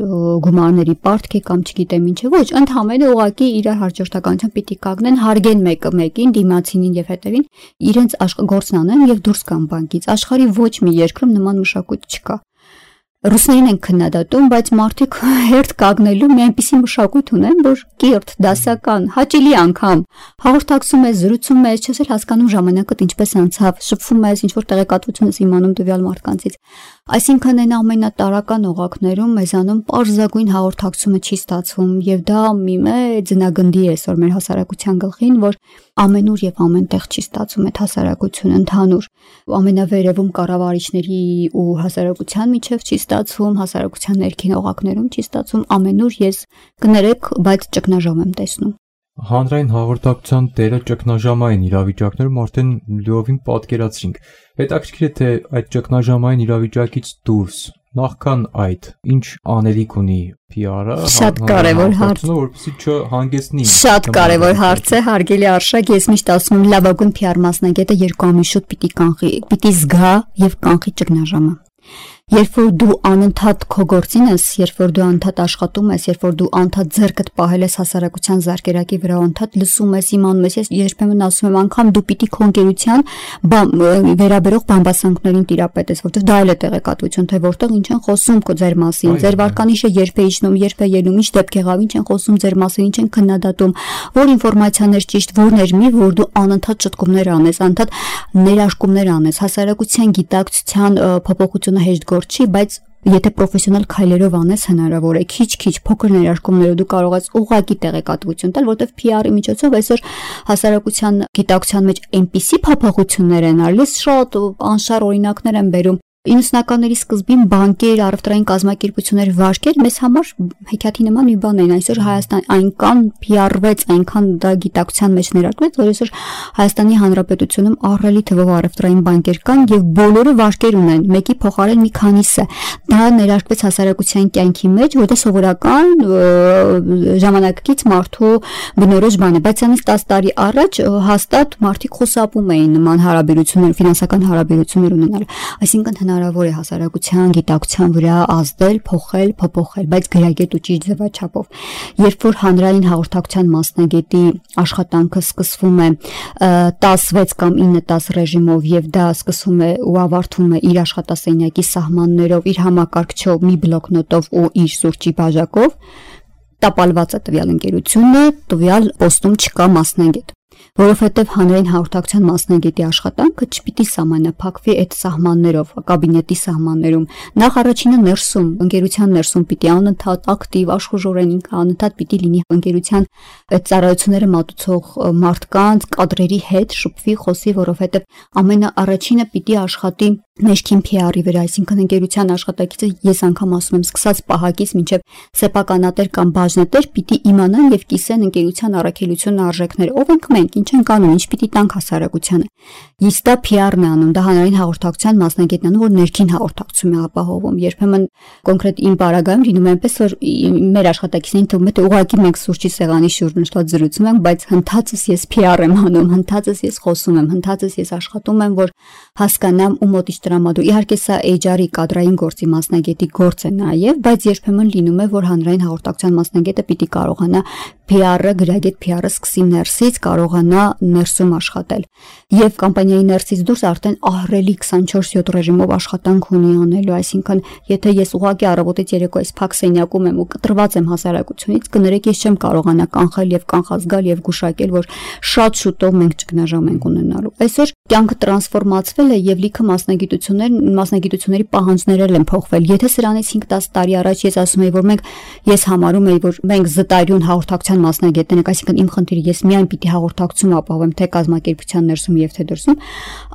գումարների պարտք է կամ չգիտեմ ինչ է, ոչ, ընդհանրապես ուղղակի իրար հաջորդականությամբ պիտի կանգնեն, հարգեն մեկը մեկին, դիմացինին եւ հետևին, իրենց գործն անեն եւ դուրս գան բանկից։ Աշխարհի ոչ մի երկրում նման մշակույթ չկա։ Ռուսներին են քննադատում, բայց մարդիկ հերթ կանգնելու մի այնպիսի մշակույթ ունեն, որ կիրթ, դասական, հաճելի անգամ հաղորդակցում ես, զրուցում ես, չես էլ հասկանում ժամանակդ ինչպես անցավ, շփվում ես, ինչ որ տեղեկատվություն ես իմանում տվյալ մարդկանցից։ Այսինքն այն ամենատարական օղակներում մեզանում պարզագույն հաղորդակցումը չի ստացվում եւ դա մի մեծ ձնագնդի է այսօր մեր հասարակության գլխին, որ ամենուր եւ ամենտեղ չի ստացվում այդ հասարակությունը ընդհանուր ամենավերևում կառավարիչների ու հասարակության միջև չի ստացվում, հասարակության ներքին օղակներում չի ստացվում, ամենուր ես կներեք, բայց ճգնաժամ եմ տեսնում։ Հանրային հաղորդակցության տերը ճգնաժամային իրավիճակներում արդեն լիովին պատկերացրինք։ Հետաքրքիր է թե այդ ճգնաժամային իրավիճակից դուրս նախքան այդ ինչ անելիք ունի PR-ը, շատ կարևոր հարց, որպեսզի չհանգեցնի։ Շատ կարևոր հարց է, հարգելի Արշակ, ես միշտ ասում եմ լավագույն PR մասնագետը երկու ամիս շուտ պիտի զգա եւ կանխի ճգնաժամը։ Երբ որ դու անընդհատ քո գործին ես, երբ որ դու անընդհատ աշխատում ես, երբ որ դու անընդհատ ձեռքդ պահել ես հասարակության զարկերակի վրա, անընդհատ լսում ես, իմանում ես, ես երբեմն ասում եմ, անգամ դու պիտի քո ընկերության վերաբերող բամբասանքներին տիրապետես, որտեղ դա էլ է տեղեկատվություն, թե որտեղ ինչ են խոսում քո ձեր մասին, ձեր վարկանիշը երբ է իջնում, երբ է ելնում, ինչ դեպք եղավ, ինչ են խոսում ձեր մասին, ինչ են քննադատում, որ ինֆորմացիան է ճիշտ, որն էր մի, որ դու անընդհատ ճտկումներ անես, անընդհատ ներաշկումներ անես, հասարակության գիտակցության փոփոխությունը հեշտ չի, բայց եթե պրոֆեսիոնալ քայլերով անես հնարավոր է քիչ-քիչ փոքր ներարկումներով դու կարող ես ուղղակի տեղեկատվություն տալ, որտեղ PR-ի միջոցով այսօր հասարակության գիտակցության մեջ այնպիսի փոփոխություններ են արվել, շատ անշար օրինակներ են բերում 90-ականների սկզբին բանկեր, առևտրային կազմակերպություններ, վարկեր մեզ համար հեքիաթի նման մի բան են, այսօր Հայաստան այնքան PR-վեց, այնքան դա գիտակցության մեջ ներարկվեց, որ այսօր Հայաստանի Հանրապետությունում ահռելի թվով առևտրային բանկեր կան եւ բոլորը վարկեր ունեն, մեկի փոխարեն մի քանիսը։ Դա ներարկվեց հասարակության կյանքի մեջ, որտեղ սովորական ժամանակակից մարդու բնորոշ բան է, բայց անից 10 տարի առաջ հաստատ մարդիկ խուսափում էին նման հարաբերություններ, ֆինանսական հարաբերություններ ունենալ, այսինքն հնարավոր է հասարակության գիտակցության վրա ազդել, փոխել, փոփոխել, բայց գրագետ ու ճիշտ ձևաչափով։ Երբ որ հանրային հաղորդակցության մասնագետի աշխատանքը սկսվում է 16 կամ 9-10 ռեժիմով եւ դա սկսվում է ու ավարտվում է իր աշխատասենյակի սահմաններով, իր համակարգչով, մի բլոկնոտով ու իր սուրճի բաժակով, տապալված է տվյալ ընկերությունը, տվյալ պոստում չկա մասնագետ։ Որովհետև հանրային հաղորդակցության մասնագետի աշխատանքը չպիտի սահմանափակվի այդ սահմաններով, կաբինետի սահմաններում։ Նախ առաջինը ներսում, ընկերության ներսում պիտի անընդհատ ակտիվ, աշխուժորեն ինքը անընդհատ պիտի լինի ընկերության ծառայությունները մատուցող մարդկանց, կադրերի հետ շփվի, խոսի, որովհետև ամենաառաջինը պիտի աշխատի ներքին PR-ի վրա, այսինքն ընկերության աշխատակիցը ես անգամ ասում եմ, սկսած պահակից մինչև սեփականատեր կամ բաժնետեր պիտի իմանան եւ կիսեն ընկերության առաքելության արժեքները։ Ով ենք մենք, ինչ ենք անում, ինչ պիտի տանք հասարակությանը։ Իսկ դա PR-ն է անում, դա հանրային հաղորդակցության մասնագետն է անում, որ ներքին հաղորդակցություն է ապահովում։ Երբեմն կոնկրետ իմ պարագայում լինում է այնպես, որ մեր աշխատակիցներին թվում է թե ուղղակի մենք սուրճի սեղանի շուրջ նստած զրուցում ենք, բայց հնդածս ես PR եմ անում, հնդածս ես խոսում եմ, հնդածս ես աշխատում եմ, որ հասկանամ ու մոտից տրամադրու։ Իհարկե սա HR-ի կադրային գործի մասնագետի գործ է նաև, բայց երբեմն լինում է, որ հանրային հաղորդակցության մասնագետը պիտի կարողանա PR-ը, գրագետ PR-ը սկսի ներսից կարողանա ներսում աշխատել։ Եվ կամպանիայի ներսից դուրս արդեն ահռելի 24/7 ռեժիմով աշխատանք ունի անելու, այսինքն եթե ես ուղղակի առավոտից երեկո այս փակ սենյակում եմ ու կտրված եմ հասարակությունից, կներեք ես չեմ կարողանա կանխել եւ կանխազգալ եւ գուշակել, որ շատ շուտով մենք ճգնաժամ ենք ունենալու։ Այսօր կյանքը տրանսֆորմացվել է եւ լիքը մասնագիտությունների պահանջներ են փոխվել։ Եթե սրանից 5-10 տարի առաջ ես ասում եի, որ ես համարում եի, որ մենք զտարյուն հաղորդակցության մասնագետներ ենք, այսինքն իմ խնդիրը ես միայն պիտի հաղորդակցություն ապահովեմ թե կազմակերպության ներսում եւ թե դրսում,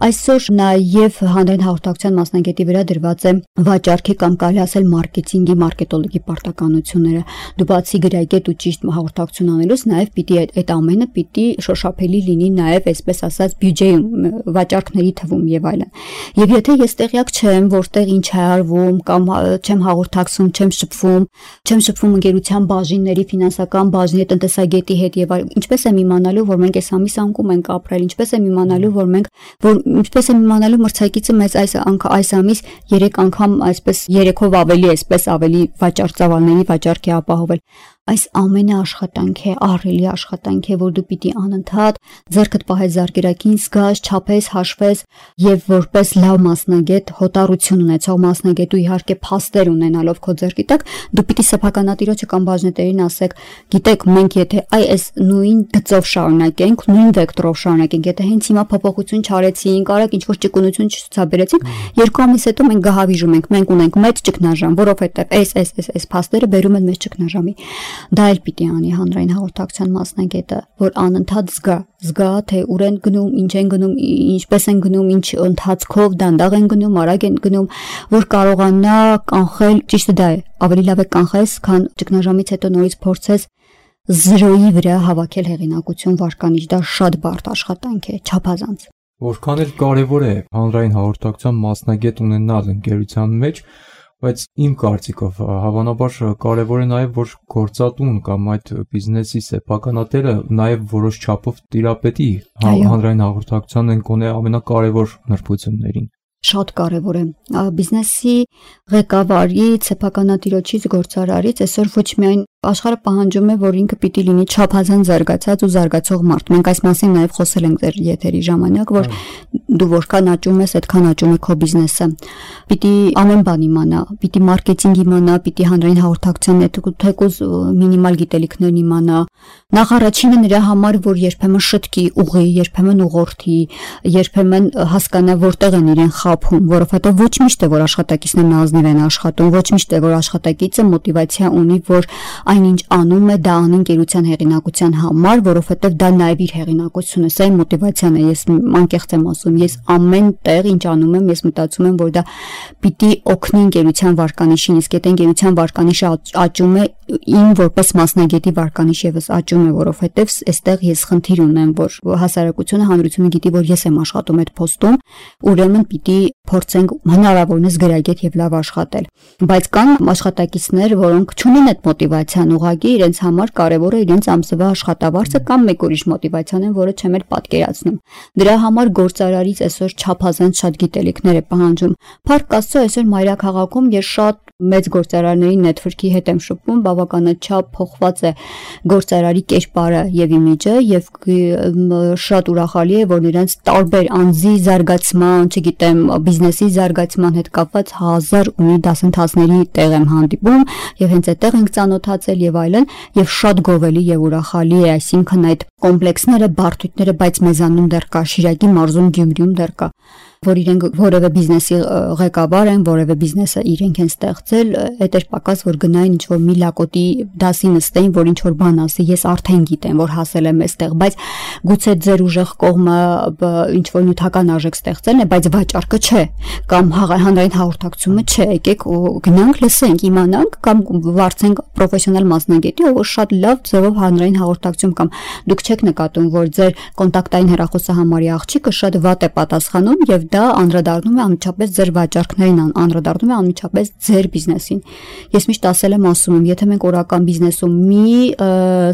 այսօր նաեւ հանրային հաղորդակցության մասնագետի վրա դրված է վաճառքի կամ կարելի ասել մարքեթինգի, մարքետոլոգի պարտականությունները։ Դու բացի գրագետ ու ճիշտ հաղորդակցություն անելուց նաեւ պիտի այդ ամենը պիտի շոշափելի լինի նաեւ, այսպես ասած, բյուջեի վաճառքների թվում եւ այլն։ Եվ եթե ես տեղյակ չեմ, որտեղ ինչ է արվում կամ չեմ հաղորդակցում, չեմ շփվում ընկերության բաժինների, ֆինանսական բաժնի, տնտեսագետի հետ եւ այլն, ինչպես եմ իմանալու, որ մենք այս ամիս անկում ենք ապրել, ինչպես եմ իմանալու մրցակիցը մեծ այս ամիս 3 անգամ այսպես 3-ով ավելի վաճառծավալների վաճառք է ապահովել։ Այս ամենը աշխատանք է, ահռելի աշխատանք է, որ դու պիտի անընդհատ ձեռքդ պահես զարկերակին, զգաս, չափես, հաշվես եւ որպես լավ մասնագետ, հոտառություն ունեցող մասնագետ ու իհարկե փաստեր ունենալով քո ձեռքի տակ, դու պիտի սեփականատիրոջը կամ բաժնետերին ասեք, գիտեք, մենք եթե այս նույն գծով շարունակենք, նույն վեկտորով շարունակենք, եթե հենց հիմա փոփոխություն չարեցինք, արագ ինչ-որ ճկունություն չցուցաբերեցինք, 2 ամիս հետո մենք գահավիժում ենք, մենք ունենք մեծ ճգնաժամ, որովհետեւ այս փաստերը բերում են մեծ ճգնաժամի։ Դա էլ պիտի անի հանրային հաղորդակցության մասնագետը, որ անընդհատ զգա, թե ուր են գնում, ինչ են գնում, ինչպես են գնում, ինչ ընթացքով դանդաղ են գնում, արագ են գնում, որ կարողանա կանխել, ճիշտը դա է, ավելի լավ է կանխես, քան ճգնաժամից հետո նորից փորձես 0-ի վրա հավաքել հեղինակություն վարկանիշ, դա շատ բարդ աշխատանք է, չափազանց։ Որքան էլ կարևոր է հանրային հաղորդակցության մասնագետ ունենալ ընկերության մեջ, բայց իմ կարծիքով հավանաբար կարևոր է նաև որ գործատուն կամ այդ բիզնեսի սեփականատերը նաև որոշ չափով տիրապետի հանրային հաղորդակցության ընկոնե ամենակարևոր նրբություններին։ Շատ կարևոր է բիզնեսի ղեկավարից, սեփականատիրոջից, գործարարից այսօր ոչ միայն աշխարհը պահանջում է, որ ինքը պիտի լինի չափազանց զարգացած ու զարգացող մարդ։ Մենք այս մասին նաև խոսել ենք ձեր եթերի ժամանակ, որ դու որքան աճում ես, այդքան աճում է քո բիզնեսը։ Պիտի ամեն բան իմանա, պիտի մարքեթինգ իմանա, պիտի հանրային հաղորդակցության թեկուզ մինիմալ գիտելիքներն իմանա։ Նախ առաջինը նրա համար, որ երբեմն շտկի, ուղի, երբեմն ուղղորդի, երբեմն հասկանա որտեղ են իրեն խաբում, որովհետև ոչ միշտ է որ աշխատակիցներն ազնիվ են աշխատում, ոչ միշտ է որ աշխատակիցը մոտիվացիա ունի, որ այնինչ անում է դա անի ընկերության հեղինակության համար, որովհետև դա նաև իր հեղինակությունն է, սա իմ մոտիվացիան է, ես անկեղծ եմ ասում, ես ամեն տեղ ինչ անում եմ, ես մտածում եմ, որ դա պիտի օգնի ընկերության վարկանիշին, իսկ եթե ընկերության վարկանիշը աճում է, իմ որպես մասնագետի վարկանիշ եւս աճում է, որովհետև այստեղ ես խնդիր ունեմ, որ հասարակությունը, հանրությունը գիտի, որ ես եմ աշխատում այդ փոստում, ուրեմն պիտի փորձենք հնարավորինս գրագետ եւ լավ աշխատել։ Բայց կան աշխատակիցներ, որոնք չունեն այդ մոտիվացիան, ուղղակի իրենց համար կարևոր է իրենց ամսվա աշխատավարձը կամ մեկ ուրիշ մոտիվացիան են, որը չեմ էլ պատկերացնում։ Դրա համար գործարարից այսօր չափազանց շատ գիտելիքներ է պահանջում։ Փառք Աստծո, այսօր մայրաքաղաքում ես շատ մեծ գործարարների նետվորքի հետ եմ շփվում, բավականաչափ փոխված է գործարարի կերպարը եւ իմիջը եւ շատ ուրախալի է, որ նրանց տարբեր անձի զարգացման, չգիտեմ, բիզնեսի զարգացման հետ կապված 1000 ունի դասընթացների տեղ եմ հանդիպում եւ հենց այդտեղ ենք ծանոթացել եւ այլն եւ շատ գովելի եւ ուրախալի է, այսինքն այդ կոմպլեքսները, բարդույթները, բայց մեզանում դեռ կա, Շիրակի մարզում, Գյումրիում դեռ կա, որ իրենք որևէ բիզնեսի ղեկավար են, որևէ բիզնեսը իրենք են ստեղծել, այդ էր պակաս, որ գնային ինչ-որ մի լակոտի դասի նստեին, որ ինչ-որ բան ասի, ես արդեն գիտեմ, որ հասել եմ այստեղ, բայց գուցե ձեր ուժեղ կողմը ինչ-որ նյութական արժեք ստեղծելն է, բայց վաճառքը չէ, կամ հանրային հաղորդակցությունը չէ, եկեք գնանք, լսենք, իմանանք կամ վարձենք պրոֆեսիոնալ մասնագետի, ով շատ լավ ձևով հանրային հաղորդակցություն կամ դուք չեք նկատում, որ ձեր կոնտակտային հեռախոսահամարի աղջիկը շատ վատ է պատասխանում եւ դա անդրադառնում է անմիջապես ձեր վաճառքներին, անդրադառնում է անմիջապես ձեր բիզնեսին։ Ես միշտ ասել եմ, ասում եմ, եթե մենք օրական բիզնեսում մի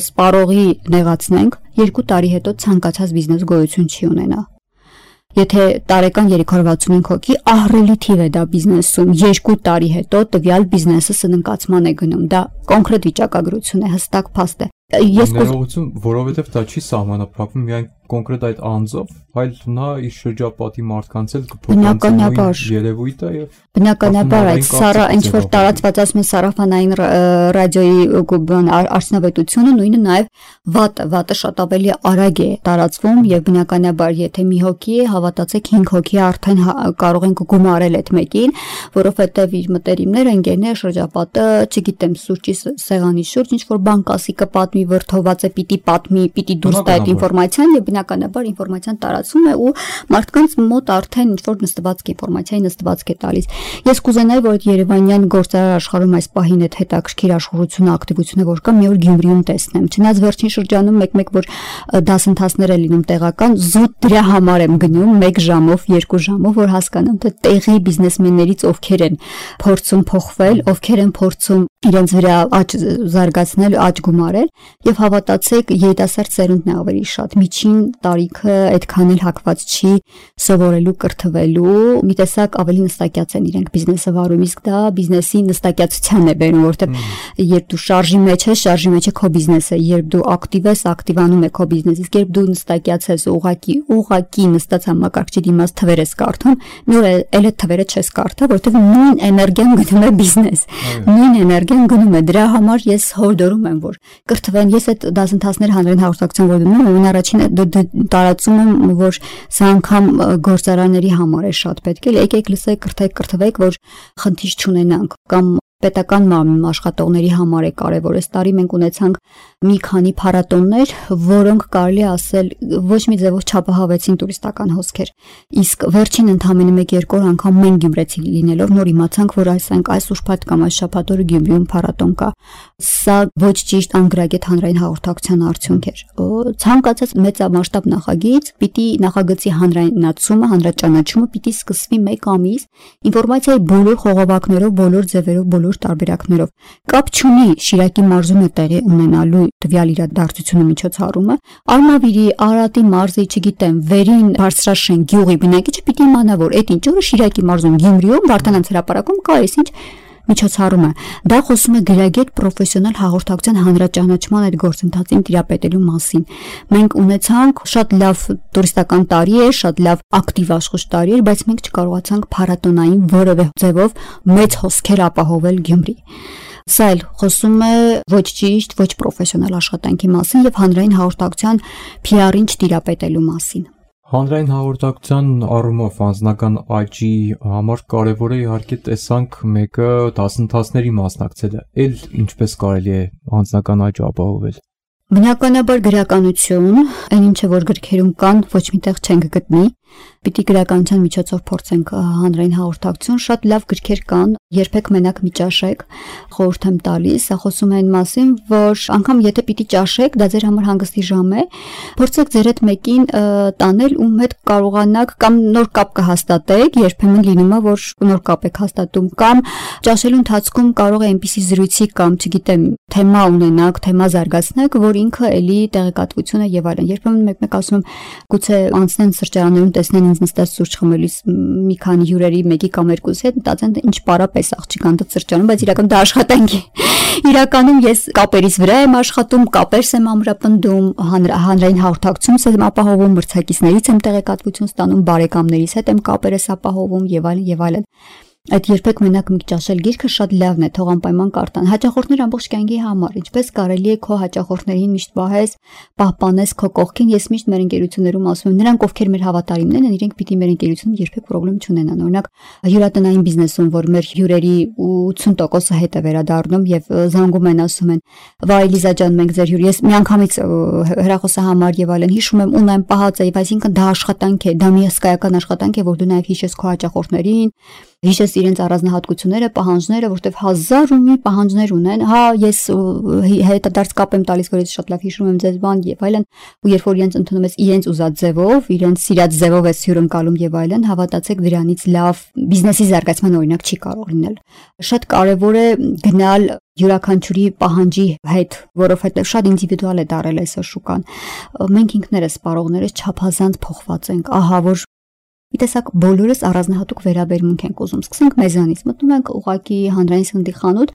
սպառողի նեղացնենք, 2 տարի հետո ցանկացած բիզնես գոյություն չի ունենա։ Եթե տարեկան 365 հոգի ահռելի թիվ է դա բիզնեսում, 2 տարի հետո տվյալ բիզնեսը սննկացման է գնում։ Դա կոնկրետ վիճակագրություն է, հստակ փաստ է։ Ներողություն, որովհետև դա չի սահմանափակվում միայն կոնկրետ այդ անձով, այլ նա իր շրջապատի մարդկանց էլ կփոխանցի երևույթը եւ բնականաբար այդ սառա ինչ որ տարածված ասում են սարաֆանային ռադիոյի արդյունավետությունը նույնը նաեւ վատը շատ ավելի արագ է տարածվում եւ բնականաբար եթե մի հոգի է հավատացեք 5 հոգի արդեն կարող են գումարել այդ մեկին, որովհետեւ իր մտերիմները, ընկերները, շրջապատը, չգիտեմ, սուրճի սեղանի շուրջ ինչ որ բան կասի կպատմի վրթոված է, պիտի պատմի, պիտի դուրս տա այդ ինֆորմացիան եւ բնականաբար ինֆորմացիան տարածվում է ու մարդկանց մոտ արդեն ինչ որ նստվածք ինֆորմացիայի նստվածք է տալիս։ Ես կուզենայի, որ այդ Երևանյան գործարար աշխարհում այս պահին այդ հետաքրքիր աշխուժությունը, ակտիվությունը որ կա, մի օր Գյումրիում տեսնեմ։ Չնայած վերջին շրջանում մեկ-մեկ որ դասընթացներ է լինում տեղական, զուտ դրա համար եմ գնում 1 ժամով, 2 ժամով, որ հասկանամ թե տեղի բիզնեսմեններից ովքեր են փորձում փոխվել, ովքեր են փորձում իրենց վրա աճ զարգացնել, աճ գումարել եւ հավատացեք երիտասարդ սերունդն է ավելի շատ միջին տարիքը այդքան էլ հակված չի սովորելու կրթվելու մի տեսակ ավելի նստակյաց են իրենք բիզնեսը վարում իսկ դա բիզնեսի նստակյացության է բերում որովհետեւ երբ դու շարժի մեջ է քո բիզնեսը երբ դու ակտիվ ես ակտիվանում է քո բիզնեսը իսկ երբ դու նստակյաց ես ուղակի նստած համակարգչի դիմաց թվեր ես կարդում մի օր էլ այդ թվերը չես կարդա որովհետեւ նույն էներգիան գնում է բիզնես նույն էներգիան գնում է դրա համար ես հորդորում եմ որ կրթվեն ես այդ դասընթացներ հանրային հաղորդակցություն որ դնում եմ ամեն առաջինը տարածում եմ որ սա անգամ գործարանների համար է շատ պետք է եկեք լսեք կրթվեք որ խնդիր չունենանք կամ պետական աշխատողների համար է կարևոր այս տարի մենք ունեցանք մի քանի փառատոններ որոնք կարելի ասել ոչ մի ձևով չափահավեցին տուրիստական հոսքեր իսկ վերջին ընդամենը 1-2 անգամ մենք գյումրեցի լինելով նոր իմացանք որ այս ուրբաթ կամ այս շաբաթ օրը Գյումրիում փառատոն կա սա ոչ ճիշտ անգրագետ հանրային հաղորդակցության արդյունք էր ցանկացած մեծամասշտաբ նախագիծ պիտի նախագծի հանրայնացումը հանրաճանաչումը պիտի սկսվի 1 ամիս ինֆորմացիայի բոլոր խողովակներով բոլոր ձևերով բոլոր տարբերակներով կապ չունի Շիրակի մարզում է տեղի ունենալու տվյալ իրադարձությունը միջոցառումը Արմավիրի Արարատի մարզի չգիտեմ Վերին Բարձրաշեն գյուղի բնակիչը պիտի իմանա որ այդ ինչ օրը Շիրակի մարզում Գյումրիում Վարդանանց հրապարակում կա այս ինչ միջոցառումը դա խոսում է գրագետ պրոֆեսիոնալ հաղորդակցության հանրաճանաչման այդ գործընթացին տիրապետելու մասին մենք ունեցանք շատ լավ տուրիստական տարի է շատ լավ ակտիվ աշխուժ տարի էր բայց մենք չկարողացանք փառատոնային որևէ ձևով մեծ հոսքեր ապահովել Գյումրի Սա էլ խոսում է ոչ ճիշտ ոչ պրոֆեսիոնալ աշխատանքի մասին եւ հանրային հաղորդակցության PR-ին չտիրապետելու մասին Հանրային հաղորդակցության առումով անձնական աճի համար կարևոր է իհարկե տեսանք մեկը դասընթացների մասնակցելը։ Էլ ինչպես կարելի է անձնական աճ ապահովել։ Բնականաբար գրականություն, այն ինչը որ գրքերում կան, ոչ միտեղ չենք գտնի։ Պիտի գրականության միջոցով փորձենք հանրային հաղորդակցություն, շատ լավ գրքեր կան, երբեք մենակ մի ճաշեք, խորհուրդ եմ տալիս, սա խոսում է այն մասին, որ անգամ եթե պիտի ճաշեք, դա ձեր համար հանգստի ժամ է, փորձեք ձեր հետ մեկին տանել, ում հետ կարողանաք կամ նոր կապ կհաստատեք, երբեմն լինում է, որ նոր կապ եք հաստատում, կամ ճաշելու ընթացքում կարող է այնպիսի զրույցի կամ, չգիտեմ, թեմա ունենաք, թեմա զարգացնեք, որ ինքը էլի տեղեկատվությունը եւ այլն։ Երբեմն մեկ-մեկ ասում եմ, գուցե անցնեն սրճարաններում տեսնեն ինձ նստած սուրճ խմելիս մի քանի հյուրերի մեկի կամ երկուսի հետ մտածեն ինչ պարապես աղջիկան դա սրճարանում, բայց իրականում դա աշխատանք է։ Իրականում ես կապերից վրա եմ աշխատում, կապերս եմ ամրապնդում, հանրային հաղորդակցությունս եմ ապահովում, մրցակիցներից եմ տեղեկատվություն ստանում, բարեկամներից հետ եմ կապերս ապահովում եւ այլն եւ այլն։ Այդ երբեք մենակ մի ճաշել գիրքը շատ լավն է, թող անպայման կարտան։ Հաճախորդներ ամբողջ կյանքի համար, ինչպես կարելի է քո հաճախորդներին միշտ պահես, պահպանես քո կողքին։ Ես միշտ մեր ընկերություններում ասում եմ, նրանք ովքեր մեր հավատարիմներն են, իրենք պիտի մեր ընկերությունում երբեք խնդրեմ չունենան։ Օրինակ, հյուրատնային բիզնեսում, որ մեր հյուրերի 80%-ը հետ է վերադառնում եւ զանգում են, ասում են, «Վայ Լիզա ջան, մենք ձեր հյուր»։ Ես միանգամից հեռախոսահամար եւ այլն հիշում եմ, ունեմ պահած է, այսինքն դա աշխատանք է, դա մի հսկայական աշխատանք է, որ դու նաեւ հիշես քո հաճախորդներին հիշես իրենց առանձնահատկությունները, պահանջները, որտեվ 1000 ու մի պահանջներ ունեն։ Հա, ես հետադարձ կապ եմ տալիս, որ ես շատ լավ հիշում եմ ձեզ բան եւ այլն, ու երբ որ իրենց ընդունում ես իրենց ուզած ձևով, իրենց սիրած ձևով ես հյուրընկալում եւ այլն, հավատացեք դրանից լավ բիզնեսի զարգացման օրինակ չի կարող լինել։ Շատ կարեւոր է գնալ յուրաքանչյուրի պահանջի հետ, որովհետեւ շատ ինդիվիդուալ է դարել այսօր շուկան։ Մենք ինքներս սպառողներս չափազանց փոխված ենք։ Ահա որ մի տեսակ բոլորս առանձնահատուկ վերաբերմունք ենք ուզում։ Սկսենք մեզանից, մտնում ենք ուղակի հանրային սննդի խանութ,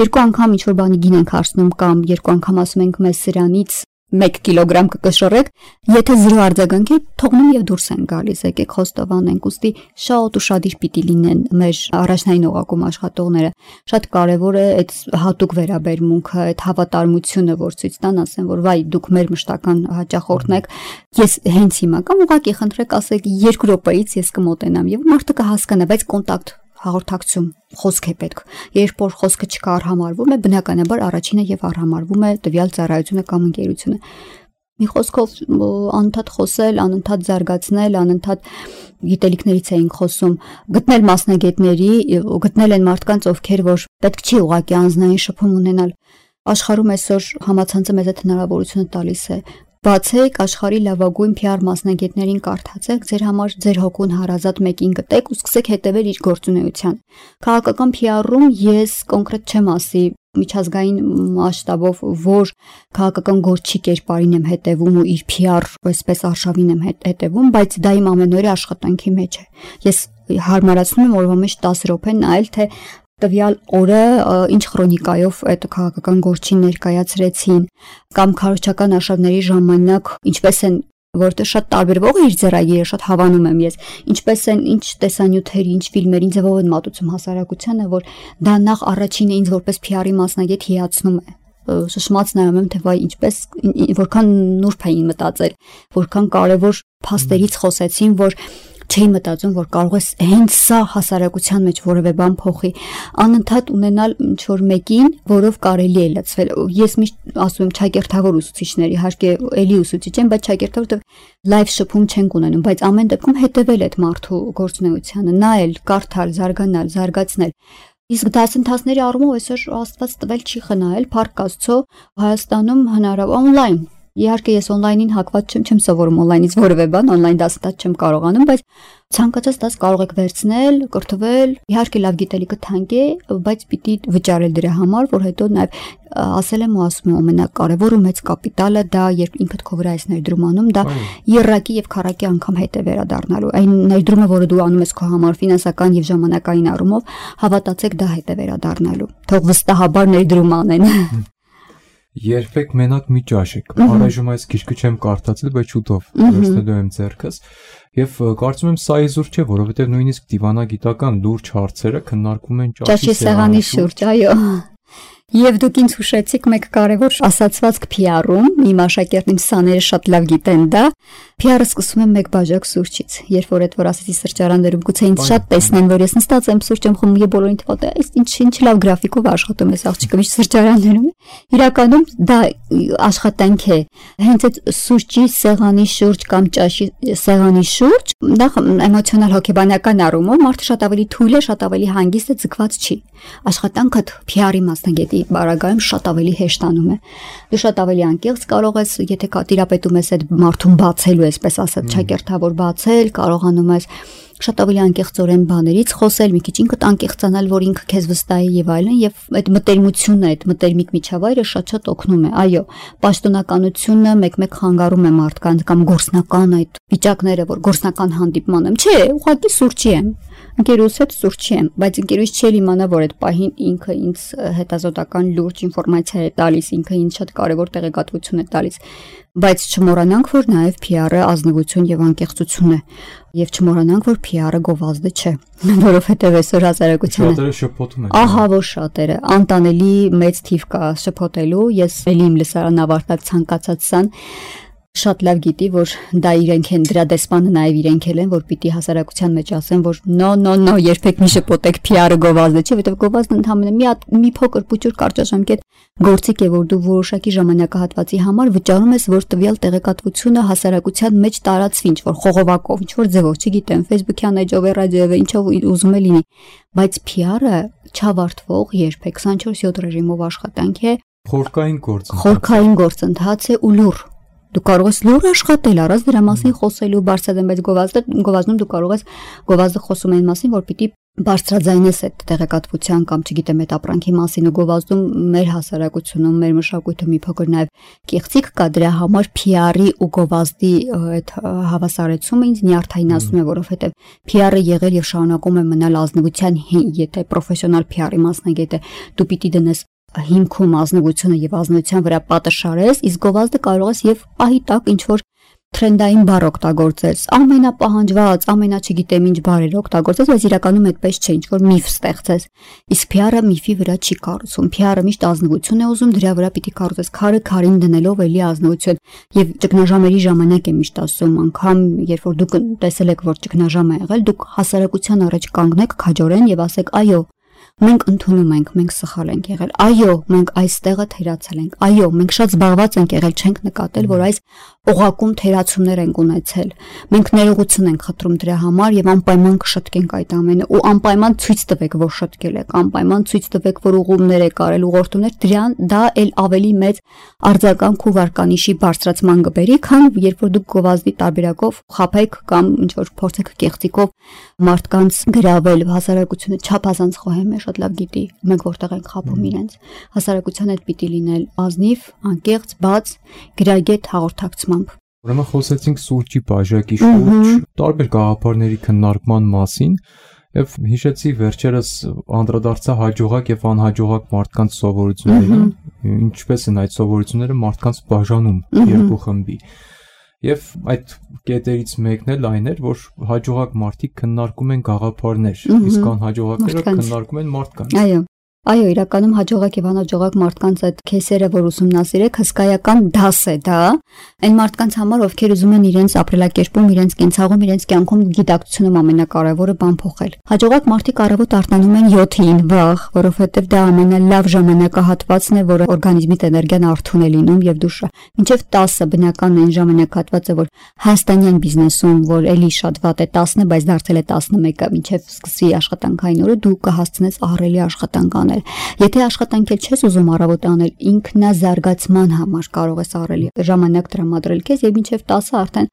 երկու անգամ ինչ-որ բանի գին ենք հարցնում կամ երկու անգամ ասում ենք մեզ սրանից 1 կիլոգրամ կկշռեք, եթե 0 արձագանք է, թողնում եւ դուրս են գալիս, եկեք խոստովանենք, ուստի շատ ուշադիր պիտի լինեն մեր առաջնային օղակում աշխատողները։ Շատ կարեւոր է այդ հատուկ վերաբերմունքը, այդ հավատարմությունը, որ ցույց տան, ասեն, որ վայ, դուք մեր մշտական հաճախորդն եք, ես հենց հիմա կամ ուղղակի խնդրեք ասեք 2 րոպեից ես կմոտենամ եւ մարդը կհասկանա, բայց կոնտակտ հաղորդակցում խոսք է պետք։ Երբ որ խոսքը չկա արհամարվում է, բնականաբար առաջինը եւ արհամարվում է տվյալ ծառայությունը կամ ընկերությունը։ Մի խոսքով անընդհատ խոսել, անընդհատ զարգացնել, անընդհատ գիտելիքներից էինք խոսում, գտնել մասնագետների, գտնել են մարդկանց, ովքեր որ պետք չի ուղղակի անձնային շփում ունենալ։ Աշխարհում այսօր համացանցը մեզ այդ հնարավորությունը տալիս է։ Բացեք աշխարհի լավագույն PR մասնագետներին կարդացեք, ձեր համար ձեր հոգուն հարազատ մեկին գտեք ու սկսեք հետևել իր գործունեության։ Քաղաքական PR-ում ես կոնկրետ չեմ ասի միջազգային մասշտաբով, որ քաղաքական գործչի կերպարին եմ հետևում ու իր PR այսպես արշավին եմ հետևում, բայց դա իմ ամենօրյա աշխատանքի մեջ է։ Ես հարմարացնում եմ օրվա մեջ 10 րոպե նայել, թե տվյալ օրը ինչ քրոնիկայով այդ քաղաքական գործին ներկայացրեցին կամ քարոզչական արշավների ժամանակ ինչպես են, որտեղ շատ տարբերվող է իր ձեռագիրը, շատ հավանում եմ ես, ինչպես են, ինչ տեսանյութերի, ինչ ֆիլմերի ձևով են մատուցում հասարակությանը, որ դա նախ առաջինը ինձ որպես PR-ի մասնագետ հիացնում է։ Շշմած նայում եմ, թե վայ ինչպես որքան նուրբ էին մտածել, որքան կարևոր փաստերից խոսեցին, որ չի մտածում, որ կարող ես հենց սա հասարակության մեջ որևէ բան փոխի, անընդհատ ունենալ ինչ-որ մեկին, որով կարելի է լցվել։ Ես միշտ ասում եմ ճակերտավոր ուսուցիչների, իհարկե էլի ուսուցիչ եմ, բայց ճակերտավոր լայվ շփում չենք ունենում, բայց ամեն դեպքում հետևել այդ մարդու գործունեությանը, նայել, կարդալ, զարգանալ, զարգացնել։ Իսկ դասընթացների առումով այսօր Աստված տվել չի խնայել, փառք Աստծո, Հայաստանում հնարավոր օնլայն Իհարկե ես օնլայնին հակված չեմ սովորում օնլայնից որևէ բան, օնլայն դասընթաց չեմ կարողանում, բայց ցանկացած դաս կարող եք վերցնել, կրթվել, իհարկե լավ գիտելիքը թանկ է, բայց պիտի վճարել դրա համար, որ հետո նաև ասել եմ ու ասում եմ ամենակարևոր ու մեծ կապիտալը դա երբ ինքդ քո վրա ես ներդրում անում, դա երրակի եւ քառակի անգամ հետ է վերադառնալու։ Այն ներդրումը, որը դու անում ես քո համար ֆինանսական եւ ժամանակային առումով, հավատացեք դա հետ է վերադառնալու։ Թող վստահաբար ներդրում անեն։ Երբեք մենակ մի ճաշեք։ Առայժմ այս գիրքը չեմ կարդացել, բայց շուտով վերցնելու եմ ձեռքս։ Եվ կարծում եմ սա իզուր չէ, որովհետև նույնիսկ դիվանագիտական լուրջ հարցերը քննարկվում են ճաշի սեղանի շուրջ, այո։ Եվ դուք ինձ հուշեցիք մեկ կարևոր ասացվածք PR-ում, իմ աշակերտիմ սաները շատ լավ գիտեն դա, PR-ը սկսում եմ մեկ բաժակ սուրճից, երբ որ այդ որ ասեցի սրճարաններում գուցե ինձ շատ տեսնեն, որ ես նստած եմ սուրճ եմ խմում եւ բոլորին թվա թե այս ինչ լավ գրաֆիկով աշխատում ես աղջիկը միշտ սրճարաններում։ Իրականում դա աշխատանք է, հենց այդ սուրճի սեղանի շուրջ կամ ճաշի սեղանի շուրջ, նախ էմոցիոնալ հոգեբանական առումով մարդը շատ ավելի թույլ է, շատ ավելի հանգիստ է, ձգված չի։ Աշխատանքը PR-ի մասնագետի բարագայում շատ ավելի հեշտանում է։ Դու շատ ավելի անկեղծ կարող ես, եթե տիրապետում ես այդ մարդուն բացելու, այսպես ասած, ճակերտավոր բացել, կարողանում ես շատ ավելի անկեղծորեն բաներից խոսել, մի քիչ ինքդ անկեղծանալ, որ ինքը քեզ վստահի եւ այլն, եւ այդ մտերմությունը, այդ մտերմիկ միջավայրը շատ օգնում է։ Այո, պաշտոնականությունը մեկ-մեկ խանգարում է մարդկանց կամ գործնական այդ վիճակները, որ գործնական հանդիպման եմ, չէ, ուղղակի սուրճի եմ։ Ընկերուս հետ սուրճի եմ, բայց ընկերուս չի իմանա, որ այդ պահին ինքը ինձ հետազոտական լուրջ ինֆորմացիա է տալիս, ինքը ինձ շատ կարևոր տեղեկատվություն է տալիս, բայց չմոռանանք, որ նաև PR-ը ազնվություն եւ անկեղծություն է, եւ չմոռանանք, որ PR-ը գովազդը չէ, որովհետեւ այսօր հասարակությունը շատերը շփոթում են։ Ահա որ շատերը, անտանելի մեծ թիվ կա շփոթելու, ես ելի իմ լսարան ավարտած ցանկացած սան շատ լավ գիտի, որ դա իրենք են, դրա դեսպանը նաև իրենք են, որ պիտի հասարակության մեջ ասեն, որ no, երբեք մի շփոթեք PR-ը գովազդը չի, որովհետև գովազդը ընդհանրապես մի փոքր փուճուր կարճաժամկետ գործիք է, որ դու որոշակի ժամանակահատվածի համար վճարում ես, որ տվյալ տեղեկատվությունը հասարակության մեջ տարածվի, ինչ որ խողովակով, ինչ որ ձևով, չգիտեմ, Facebook-յան էջով, ռադիոյով, ինչով ուզում է լինի, բայց PR-ը չավարտվող երբեք 24/7 ռեժիմով աշխատանք է, խորքային գործընթաց է ու լուր։ Դու կարող ես լուր աշխատել, առանց դրա մասին խոսելու բարձրացնել, բայց գովազդում դու կարող ես գովազդը խոսում այն մասին, որ պիտի բարձրաձայնես այդ տեղեկատվության կամ չգիտեմ այդ ապրանքի մասին ու գովազդում մեր հասարակությունում, մեր մշակույթը մի փոքր նաև կեղծիք կա դրա համար PR-ի ու գովազդի այդ հավասարեցումը ինձ նյարդայնացնում է, որովհետև PR-ը եղել եւ շարունակում է մնալ ազնվության, եթե պրոֆեսիոնալ PR-ի մասնագետ է, դու պիտի դնես հիմքում ազնվությունը եւ ազնվության վրա պատը շարես, իսկ գովազդը կարող ես եւ պահի տակ ինչ որ թրենդային բառ օգտագործես, ամենապահանջված, չգիտեմ ինչ բառեր օգտագործես, բայց իրականում այդպես չէ, ինչ որ միֆ ստեղծես։ Իսկ PR-ը միֆի վրա չի կառուցում։ PR-ը միշտ ազնվություն է ուզում, դրա վրա պիտի կառուցես քարը քարին դնելով էլի ազնվություն։ Եվ ճգնաժամերի ժամանակ է միշտ ասում, անգամ երբ որ դուք տեսել եք, որ ճգնաժամ է եղել, դուք հասարակության առաջ կանգնեք քաջորեն եւ ասեք, այո, մենք ընդունում ենք, մենք սխալ ենք եղել։ Այո, մենք այստեղը թերացել ենք։ Այո, մենք շատ զբաղված ենք եղել, չենք նկատել, որ այս օղակում թերացումներ ենք ունեցել։ Մենք ներողություն ենք խնդրում դրա համար եւ անպայման կշտկենք այդ ամենը ու անպայման ցույց տվեք, որ շտկել եք, անպայման ցույց տվեք, որ ուղումներ եք արել, ուղղորդումներ, դրան դա էլ ավելի մեծ արձագանք ու վարկանիշի բարձրացման կբերի, քան երբ որ դուք գովազդի տարբերակով խափեք կամ ինչ որ փորձեք կեղծիկով մարդկանց գրավել, հասարակությունը չափազանց խոհեմ է, շատ լավ գիտի, մենք որտեղ ենք խափում իրենց։ Հասարակության հետ պիտի լինել ազնիվ, անկեղծ, բաց, գրագետ հաղորդակցմամբ։ Ուրեմն խոսեցինք սուրճի բաժակի շուրջ, տարբեր գաղափարների քննարկման մասին եւ հիշեցի վերջերս անդրադարձա հաջողակ եւ անհաջողակ մարդկանց սովորություններին, ինչպես են այդ սովորությունները մարդկանց բաժանում երկու խմբի։ Եւ այդ կետերից մեկն էլ այն էր, որ հաջողակ մարդիկ քննարկում են գաղափարներ, իսկ անհաջողակները քննարկում են մարդկանց։ Այո, իրականում հաջողակ եւ անհաջողակ մարդկանց այդ քեսերը, որ ուսումնասիրեք, հսկայական դաս է դա, այն մարդկանց համար, ովքեր ուզում են իրենց ապրելակերպում, իրենց կենցաղում, իրենց կյանքում գիտակցությունում ամենակարևորը բան փոխել։ Հաջողակ մարդիկ առավոտ արթնանում են 7-ին վաղ, որովհետեւ դա ամենալավ ժամանակահատվածն է, որ օրգանիզմիդ էներգիան արթուն է լինում եւ դու մինչեւ 10-ը բնական այն ժամանակահատվածը, որ հայաստանյան բիզնեսում, որ էլի շատ վատ է 10-ը, բայց դարձել է 11-ը, մինչեւ սկսի աշխատանքային օրը դու կհասցնես ահռելի աշխատանք անել։ Եթե աշխատանք չես ուզում առավոտ անել, ինքնազարգացման համար կարող ես առելի ժամանակ տրամադրել քեզ եւ մինչեւ 10-ը արդեն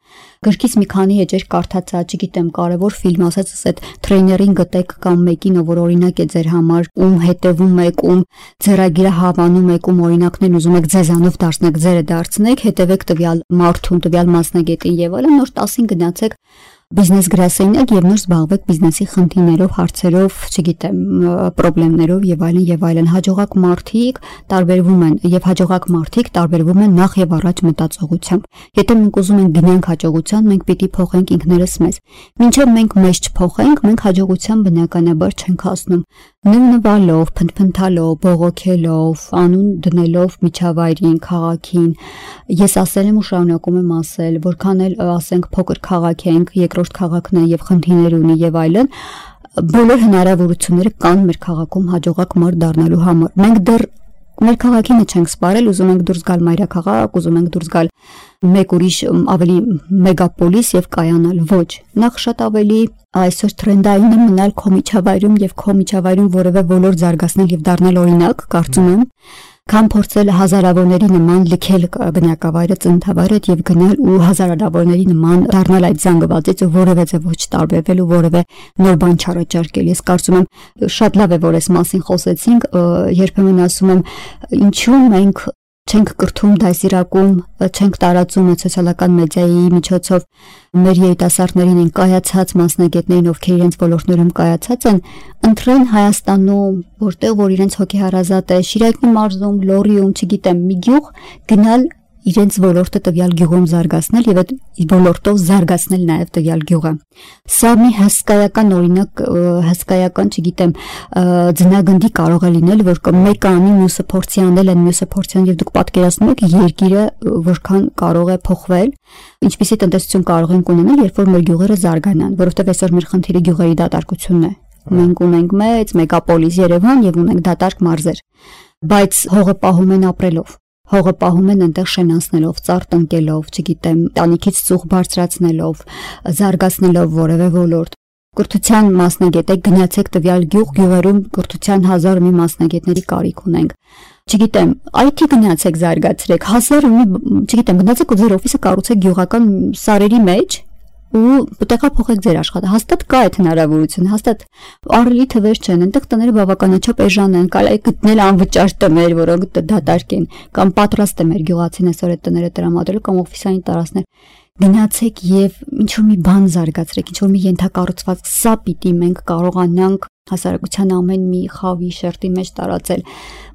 գրքից մի քանի էջեր կարդացա, չգիտեմ, կարևոր ֆիլմ, ասած այդ տրեյներին գտեք կամ մեկին, որ օրինակ է ձեր համար, ում հետևում եք, ում ձեռագիրը հավանում եք, ում օրինակներն ուզում եք ձեզանով դարձնեք, ձերը դարձնեք, հետևեք տվյալ մարդուն, տվյալ մասնագետին եւ այլն, նոր 10-ին գնացեք բիզնես գրասենյակ եւ նոր զբաղվեք բիզնեսի խնդիրներով, հարցերով, չգիտեմ, խնդիրներով եւ այլն, հաջողակ մարդիկ տարբերվում են եւ հաջողակ մարդիկ տարբերվում են նախ եւ առաջ մտածողությամբ։ Եթե մենք ուզում ենք գնանք հաջողության, մենք պիտի փոխենք ինքներս մեզ։ Մինչեւ մենք մեզ չփոխենք, մենք հաջողության բնականաբար չենք հասնում։ Նվնվալով, փնփնթալով, բողոքելով, անուն դնելով միջավայրին, քաղաքին։ Ես ասել եմ ու շարունակում եմ ասել, որքան էլ ասենք փոքր քաղաք ենք, երկրորդ քաղաքն է եւ խնդիրներ ունի եւ այլն, բոլոր հնարավորությունները կան մեր քաղաքում հաջողակ մարդ դառնալու համար։ Մենք դեռ մեր քաղաքինը չենք սպարել, ուզում ենք դուրս գալ մայրաքաղաք, ուզում ենք դուրս գալ մեկ ուրիշ ավելի մեգապոլիս եւ կայանալ։ Ոչ, նախ շատ ավելի այսօր տրենդային է մնալ քո միջավայրում եւ քո միջավայրում որևէ ոլորտ զարգացնել եւ դառնալ օրինակ, կարծում եմ, քան փորձել հազարավորների նման լքել բնակավայրը, ծննդավայրը եւ գնալ ու հազարավորների նման դառնալ այդ զանգվածից ու որևէ ձև ոչ տարբերվել ու որևէ նոր բան չառաջարկել։ Ես կարծում եմ շատ լավ է, որ այս մասին խոսեցինք, երբեմն ասում եմ, ինչու մենք չենք կրթում դասիրակում, չենք տարածում սոցիալական մեդիայի միջոցով մեր երիտասարդներին են կայացած մասնագետներին, ովքեր իրենց ոլորտներում կայացած են, ընտրեն Հայաստանում, որտեղ որ իրենց հոգեհարազատ է, Շիրակի մարզում, Լոռիում, չգիտեմ, մի գյուղ գնալ իրենց ոլորտը տվյալ գյուղում զարգացնել եւ այդ ոլորտով զարգացնել նաեւ տվյալ գյուղը։ Սա մի հսկայական օրինակ, հսկայական, չգիտեմ, ձնագնդի կարող է լինել, որ մեկը անի, մյուսը փորձի անել, մյուսը փորձի անել եւ դուք պատկերացնում եք երկիրը որքան կարող է փոխվել, ինչպիսի տնտեսություն կարող ենք ունենալ, երբ որ մեր գյուղերը զարգանան, որովհետեւ այսօր մեր խնդիրը գյուղերի դատարկությունն է։ Մենք ունենք մեծ մեգապոլիս Երևան եւ ունենք դատարկ մարզեր, բայց հողը պահում են ապրելով։ Հողը պահում են այնտեղ շենացնելով, ծառ տնկելով, չգիտեմ, տանիքից ծուխ բարձրացնելով, զարգացնելով որևէ ոլորտ։ Կրթության մասնագետ եք, գնացեք տվյալ գյուղ, գյուղերում կրթության 1000 մի մասնագետների կարիք ունենք։ Չգիտեմ, IT գնացեք զարգացրեք, 1000 մի, չգիտեմ, գնացեք ու ձեր օֆիսը կառուցեք գյուղական սարերի մեջ, ու տեղափոխեք ձեր աշխատանքը։ Հաստատ կա այդ հնարավորությունը, հաստատ առելի թվեր չեն, այնտեղ տները բավականաչափ էժան են, կարելի է գտնել անվճար տներ, որոնք դատարկ են, կամ պատրաստ է մեր գյուղացին այսօր այդ տները տրամադրել, կամ օֆիսային տարածքներ։ Գնացեք եւ ինչ որ մի բան զարգացրեք, ինչ որ մի ենթակառուցվածք, սա պիտի մենք կարողանանք հասարակության ամեն մի խավի շերտի մեջ տարածել,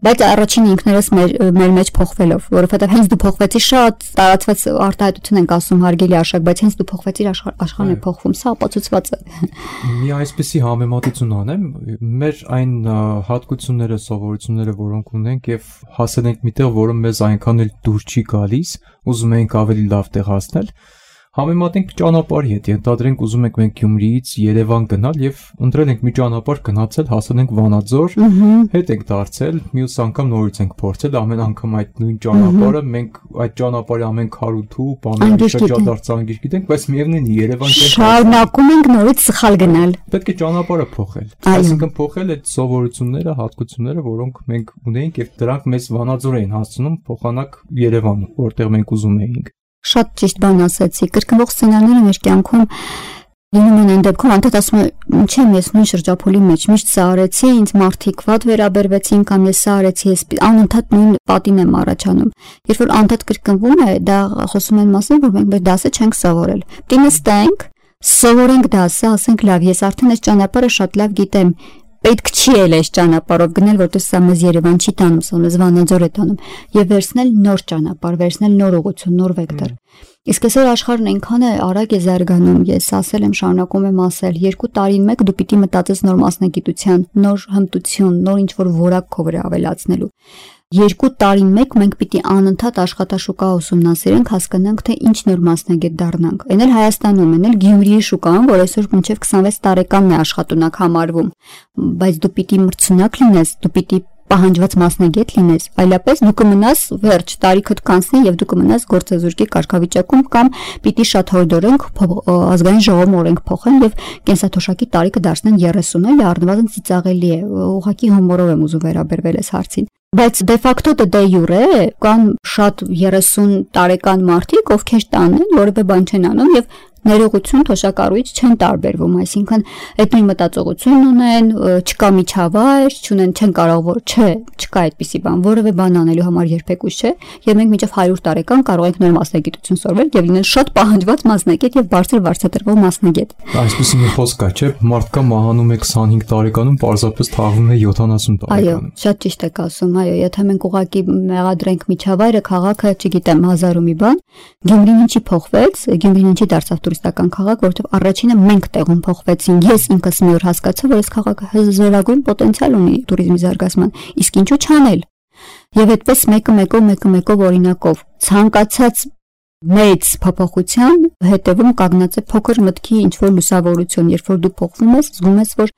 բայց առաջին ինքներս մեր մեջ փոխվելով, որովհետեւ հենց դու փոխվեցի, շատ տարածված արտահայտություն ենք ասում հարգելի Արշակ, բայց հենց դու փոխվեցիր, աշխարհն է փոխվում, սա ապացուցված է։ Մի այսպեսի համեմատություն անեմ, մեր այն հատկությունները, սովորությունները, որոնք ունենք եւ հասել ենք միտեղ, որը մեզ այնքան էլ դուր չի գալիս, ուզում ենք ավելի լավ տեղ հասնել, համեմատենք ճանապարհի հետ, ենթադրենք ուզում ենք մենք Գյումրիից Երևան գնալ եւ ընտրել ենք մի ճանապարհ գնացել, հասել ենք Վանաձոր, հետ ենք դարձել, մյուս անգամ նորից ենք փորձել, ամեն անգամ այդ նույն ճանապարհը, մենք այդ ճանապարհի ամեն քարութու, բաների շրջադարձանգիր գիտենք, բայց միևնույն Երևան չենք շարունակում ենք նորից սխալ գնալ։ Պետք է ճանապարհը փոխել։ Այսինքն փոխել այդ սովորությունները, հատկությունները, որոնք մենք ունեինք եւ դրանք մեզ Վանաձոր էին հասցնում փոխանակ Երևան, որտեղ մենք ուզում էինք։ Շատ ճիշտ բան ասացի, կրկնվող սցենարները մեր կյանքում լինում են այն դեպքում, անդադ ասում եմ, չեմ ես նույն շրջափուլի մեջ, միշտ սա արեցի, ինձ մարդիկ վատ վերաբերվեցին, կամ ես սա արեցի, ես անընդհատ նույն պատին եմ առաջանում։ Երբ որ անդադ կրկնվում է, դա խոսում են մասին, որ մենք մեր դասը չենք սովորել։ Պետք է նստենք, սովորենք դասը, ասենք լավ, ես արդեն այս ճանապարհը շատ լավ գիտեմ։ Պետք չի էլ այս ճանապարհով գնել, որտեղ սա մեզ Երևան չի տանում, սա մեզ Վանաձոր է տանում, եւ վերցնել նոր ճանապարհ, վերցնել նոր ուղղություն, նոր վեկտոր։ Իսկ այսօր աշխարհն այնքան է արագ է զարգանում, ես ասել եմ, շարունակում եմ ասել, 2 տարին մեկ դու պիտի մտածես նոր մասնագիտության, նոր հմտություն, նոր ինչ-որ որակ քո վրա ավելացնելու։ 2 տարին մեկ մենք պիտի անընդհատ աշխատաշուկա ուսումնասիրենք, հասկանանք, թե ինչ նոր մասնագետ դառնանք։ Այն էլ Հայաստանում, այն էլ Գյումրիի շուկան, որ այսօր մինչև 26 տարեկանն է աշխատունակ համարվում, բայց դու պիտի մրցունակ լինես, դու պիտի պահանջված մասնագետ լինես, այլապես դու կմնաս վերջ, տարիքդ կանցնի եւ դու կմնաս գործազուրկի կարգավիճակում կամ պիտի շատ հորդորենք ազգային ժողովում օրենք փոխեն եւ կենսաթոշակի տարիքը դարձնեն 30-ը, առնվազն ծիծաղելի է, ուղղակի հումորով եմ ուզում վերաբերվել այս հարցին։ Բայց դե ֆակտո դե յուրե կան շատ 30 տարեկան մարդիկ, ովքեր տանեն, որևէ բան չեն անում եւ ներողություն թոշակառուից չեն տարբերվում, այսինքն այդ նույն մտածողությունն ունեն, չկա միջավայր, չունեն, չեն կարող որ չկա այդպիսի բան, որևէ բան անելու համար երբեք ուշ չէ, եւ մենք մինչեւ 100 տարեկան կարող ենք նոր մասնագիտություն սովորել եւ լինել շատ պահանջված մասնագետ եւ բարձր վարձատրվող մասնագետ։ Այսպեսի մի խոսք կա, չէ՞, մարդկա մահանում է 25 տարեկանում, պարզապես թաղվում է 70 տարեկանում։ Այո, շատ ճիշտ եք ասում, այո, եթե մենք ուղղակի մեղադրենք միջավայրը, քաղաքը, չգիտեմ, հազար ու մի բան, Գյումրին ինչի փոխվեց, Գյումրին ինչի դարձավ տուրիստական քաղաք, որովհետև առաջինը մենք տեղում փոխվեցինք։ Ես ինքս մի օր հասկացա, որ այս քաղաքը զորագույն պոտենցիալ ունի туриզմի զարգացման, իսկ ինչու չանել։ Եվ այդպես մեկը օրինակով ցանկացած մեծ փոփոխության հետևում կանգնած է փոքր մտքի ինչ որ լուսավորություն, երբ որ դու փոխվում ես, զգում ես, որ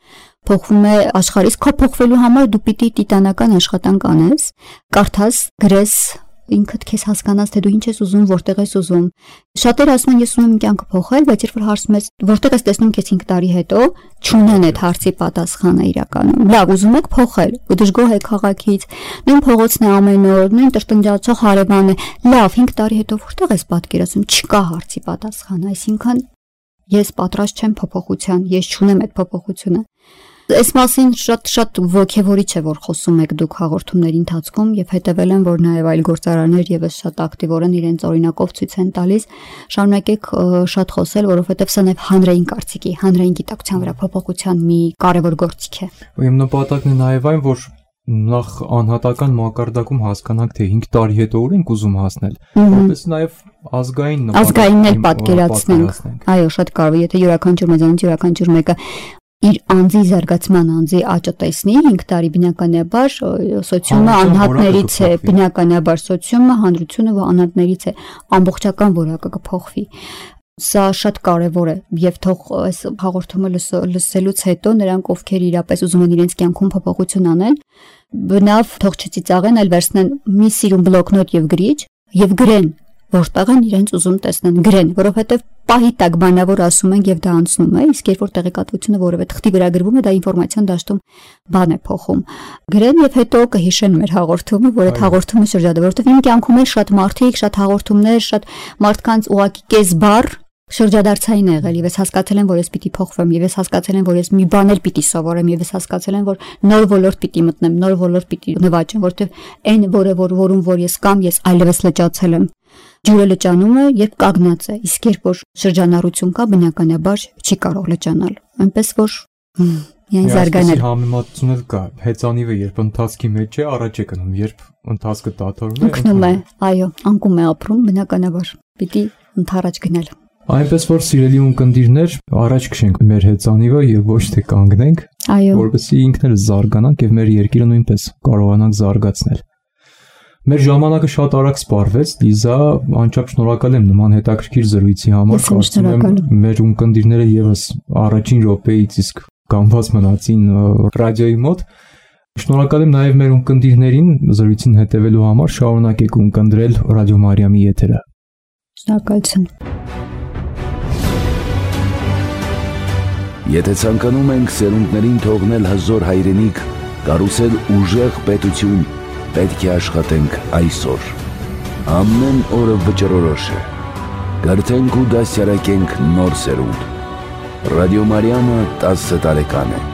փոխվում է աշխարհը, իսկ քո փոխվելու համար դու պիտի տիտանական աշխատանք անես, կարդաս, գրես, ինքդ քեզ հասկանաս, թե դու ինչ ես ուզում, որտեղ ես ուզում։ Շատերը ասում են, ես ուզում եմ կյանքը փոխել, բայց երբ որ հարցում ես, որտեղ ես տեսնում քեզ 5 տարի հետո, չունեն այդ հարցի պատասխանը իրականում։ Լավ, ուզում եք փոխել, ու դժգոհ եք քաղաքից, նույն փողոցն է ամեն օր, նույն տրտնջացող հարևանն է։ Լավ, 5 տարի հետո որտեղ ես պատկերացնում, չկա հարցի պատասխան, այսինքն ես պատրաստ չեմ փոփոխության, ես չունեմ այդ փոփոխությունը։ Այս մասին շատ ոգևորիչ է, որ խոսում եք դուք հաղորդումների ընթացքում եւ հետեւել եմ, որ նաեւ այլ գործարաններ եւս շատ ակտիվորեն իրենց օրինակով ցույց են տալիս, շարունակեք շատ խոսել, որովհետեւ սա նաեւ հանրային կարծիքի, հանրային գիտակցության վրա փոփոխության մի կարևոր գործիք է։ Իմ նպատակն է նաեւ այն, որ նախ անհատական մակարդակում հասկանանք, թե 5 տարի հետո ուր ենք ուզում հասնել, որպես նաեւ ազգային էլ պատկերացնենք։ Այո, շատ կարևոր, եթե յուրաքանչյուր մեզանից յուրաքանչյուր մեկը իր անձի զարգացման անձի աճը տեսնի 5 տարի բնականաբար սոցիումը անհատներից է, բնականաբար սոցիումը հանրությունը անհատներից է, ամբողջական որակը կփոխվի։ Սա շատ կարևոր է եւ թող այս հաղորդումը լսելուց հետո նրանք ովքեր իրապես ուզում են իրենց կյանքում փոփոխություն անել, բնավ թող չծիծաղեն, այլ վերցնեն մի սիրուն բլոկնոտ եւ գրիչ եւ գրեն որտեղ են իրենց ուզում տեսնեն, գրեն, որովհետև պահի տակ բանավոր ասում են եւ դա անցնում է, իսկ երբ որ տեղեկատվությունը որևէ թղթի վրա գրվում է, դա ինֆորմացիոն դաշտում բան է փոխում։ Գրեն եւ հետո կհիշեն մեր հաղորդումը, որ այդ հաղորդումը շրջադարձ, որովհետև իմ կյանքում էլ շատ մարդիկ, շատ հաղորդումներ, շատ մարդկանց ուղակի կես բառ Շրջադարձային է եղել, եւ ես հասկացել եմ, որ ես պիտի փոխվեմ, եւ ես հասկացել եմ, որ ես մի բաներ պիտի սովորեմ, եւ ես հասկացել եմ, որ նոր ոլորտ պիտի մտնեմ, նոր ոլորտ պիտի նվաճեմ, որտեվ այն որում որ ես կամ ես այլևս լճացել եմ։ Ջուրը լճանում է, երբ կանգնած է, իսկ երբ որ շրջանառություն կա, բնականաբար չի կարող լճանալ։ Այնպես որ միայն զարգանել։ Համեմատություն էլ կա։ Հեծանիվը երբ ընթացքի մեջ է, առաջ է գնում, երբ ընթացքը դադարում է, ընկնում է, այո, անկում է ապրում, բնականաբար պիտի ընթառաջ գնել։ Այնպես որ սիրելի ունկնդիրներ, առաջ քշենք մեր հեծանիվը եւ ոչ թե կանգնենք, որովհետեւ ինքներս զարգանանք եւ մեր երկիրը նույնպես կարողանանք զարգացնել։ Մեր ժամանակը շատ արագ սպառվեց, Լիզա, անչափ շնորհակալ եմ նման հետաքրքիր զրույցի համար, կարծում եմ մեր ունկնդիրները եւս առաջին րոպեից իսկ կանգնված մնացին ռադիոյի մոտ։ Շնորհակալ եմ նաեւ մեր ունկնդիրներին զրույցին հետևելու համար, շարունակեք ունկնդրել Ռադիո Մարիամի եթերը։ Շնորհակալություն։ Եթե ցանկանում ենք սերունդներին թողնել հզոր հայրենիք, կառուցել ուժեղ պետություն, պետք է աշխատենք այսօր։ Ամեն օրը վճռորոշ է։ Կրթենք ու դասյարակենք նոր սերունդ։ Ռադիո Մարիամը 10 տարեկան է։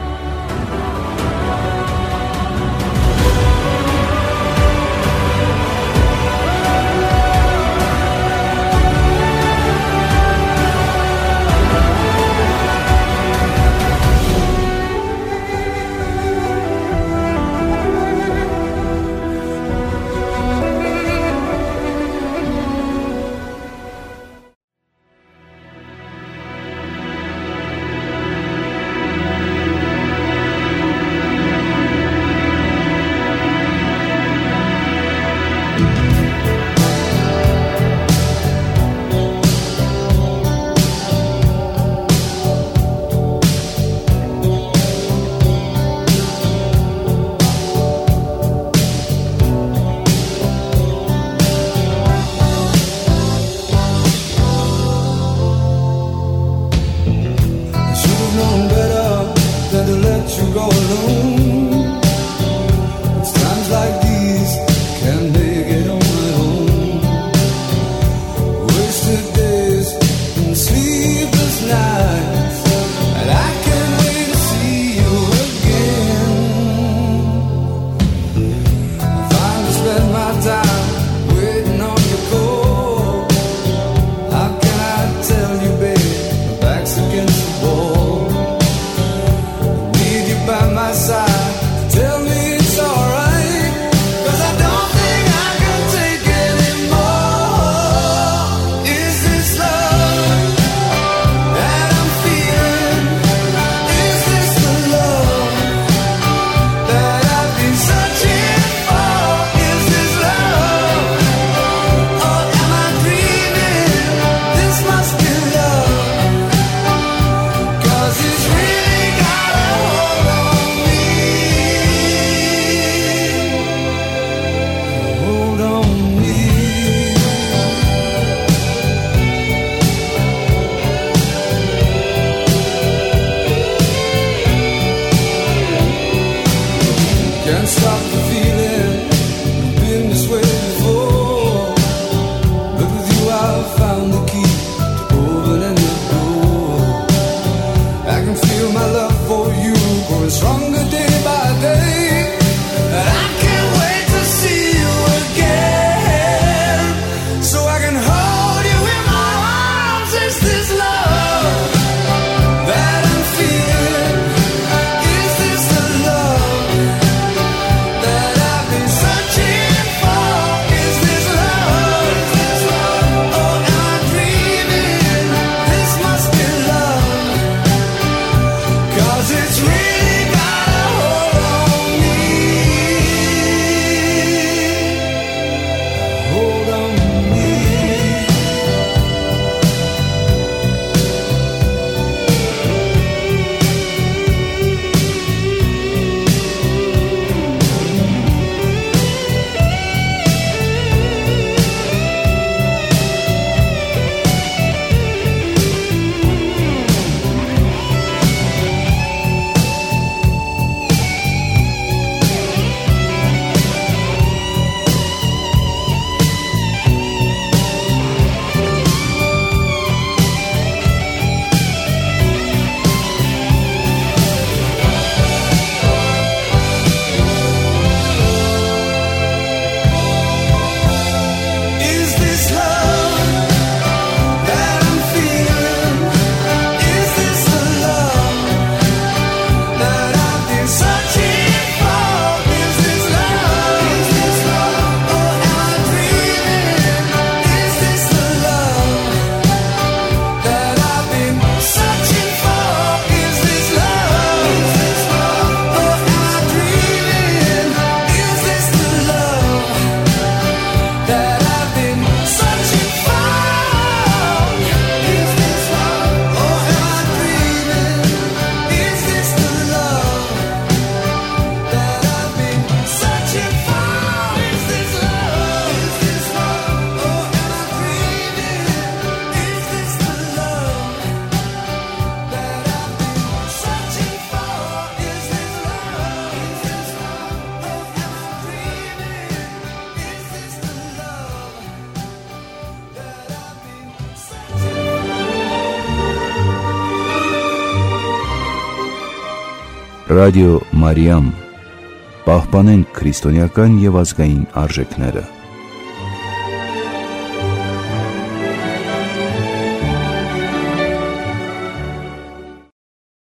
It's really got a Ռադիո Մարիամ։ Պահպանենք քրիստոնեական եւ ազգային արժեքները։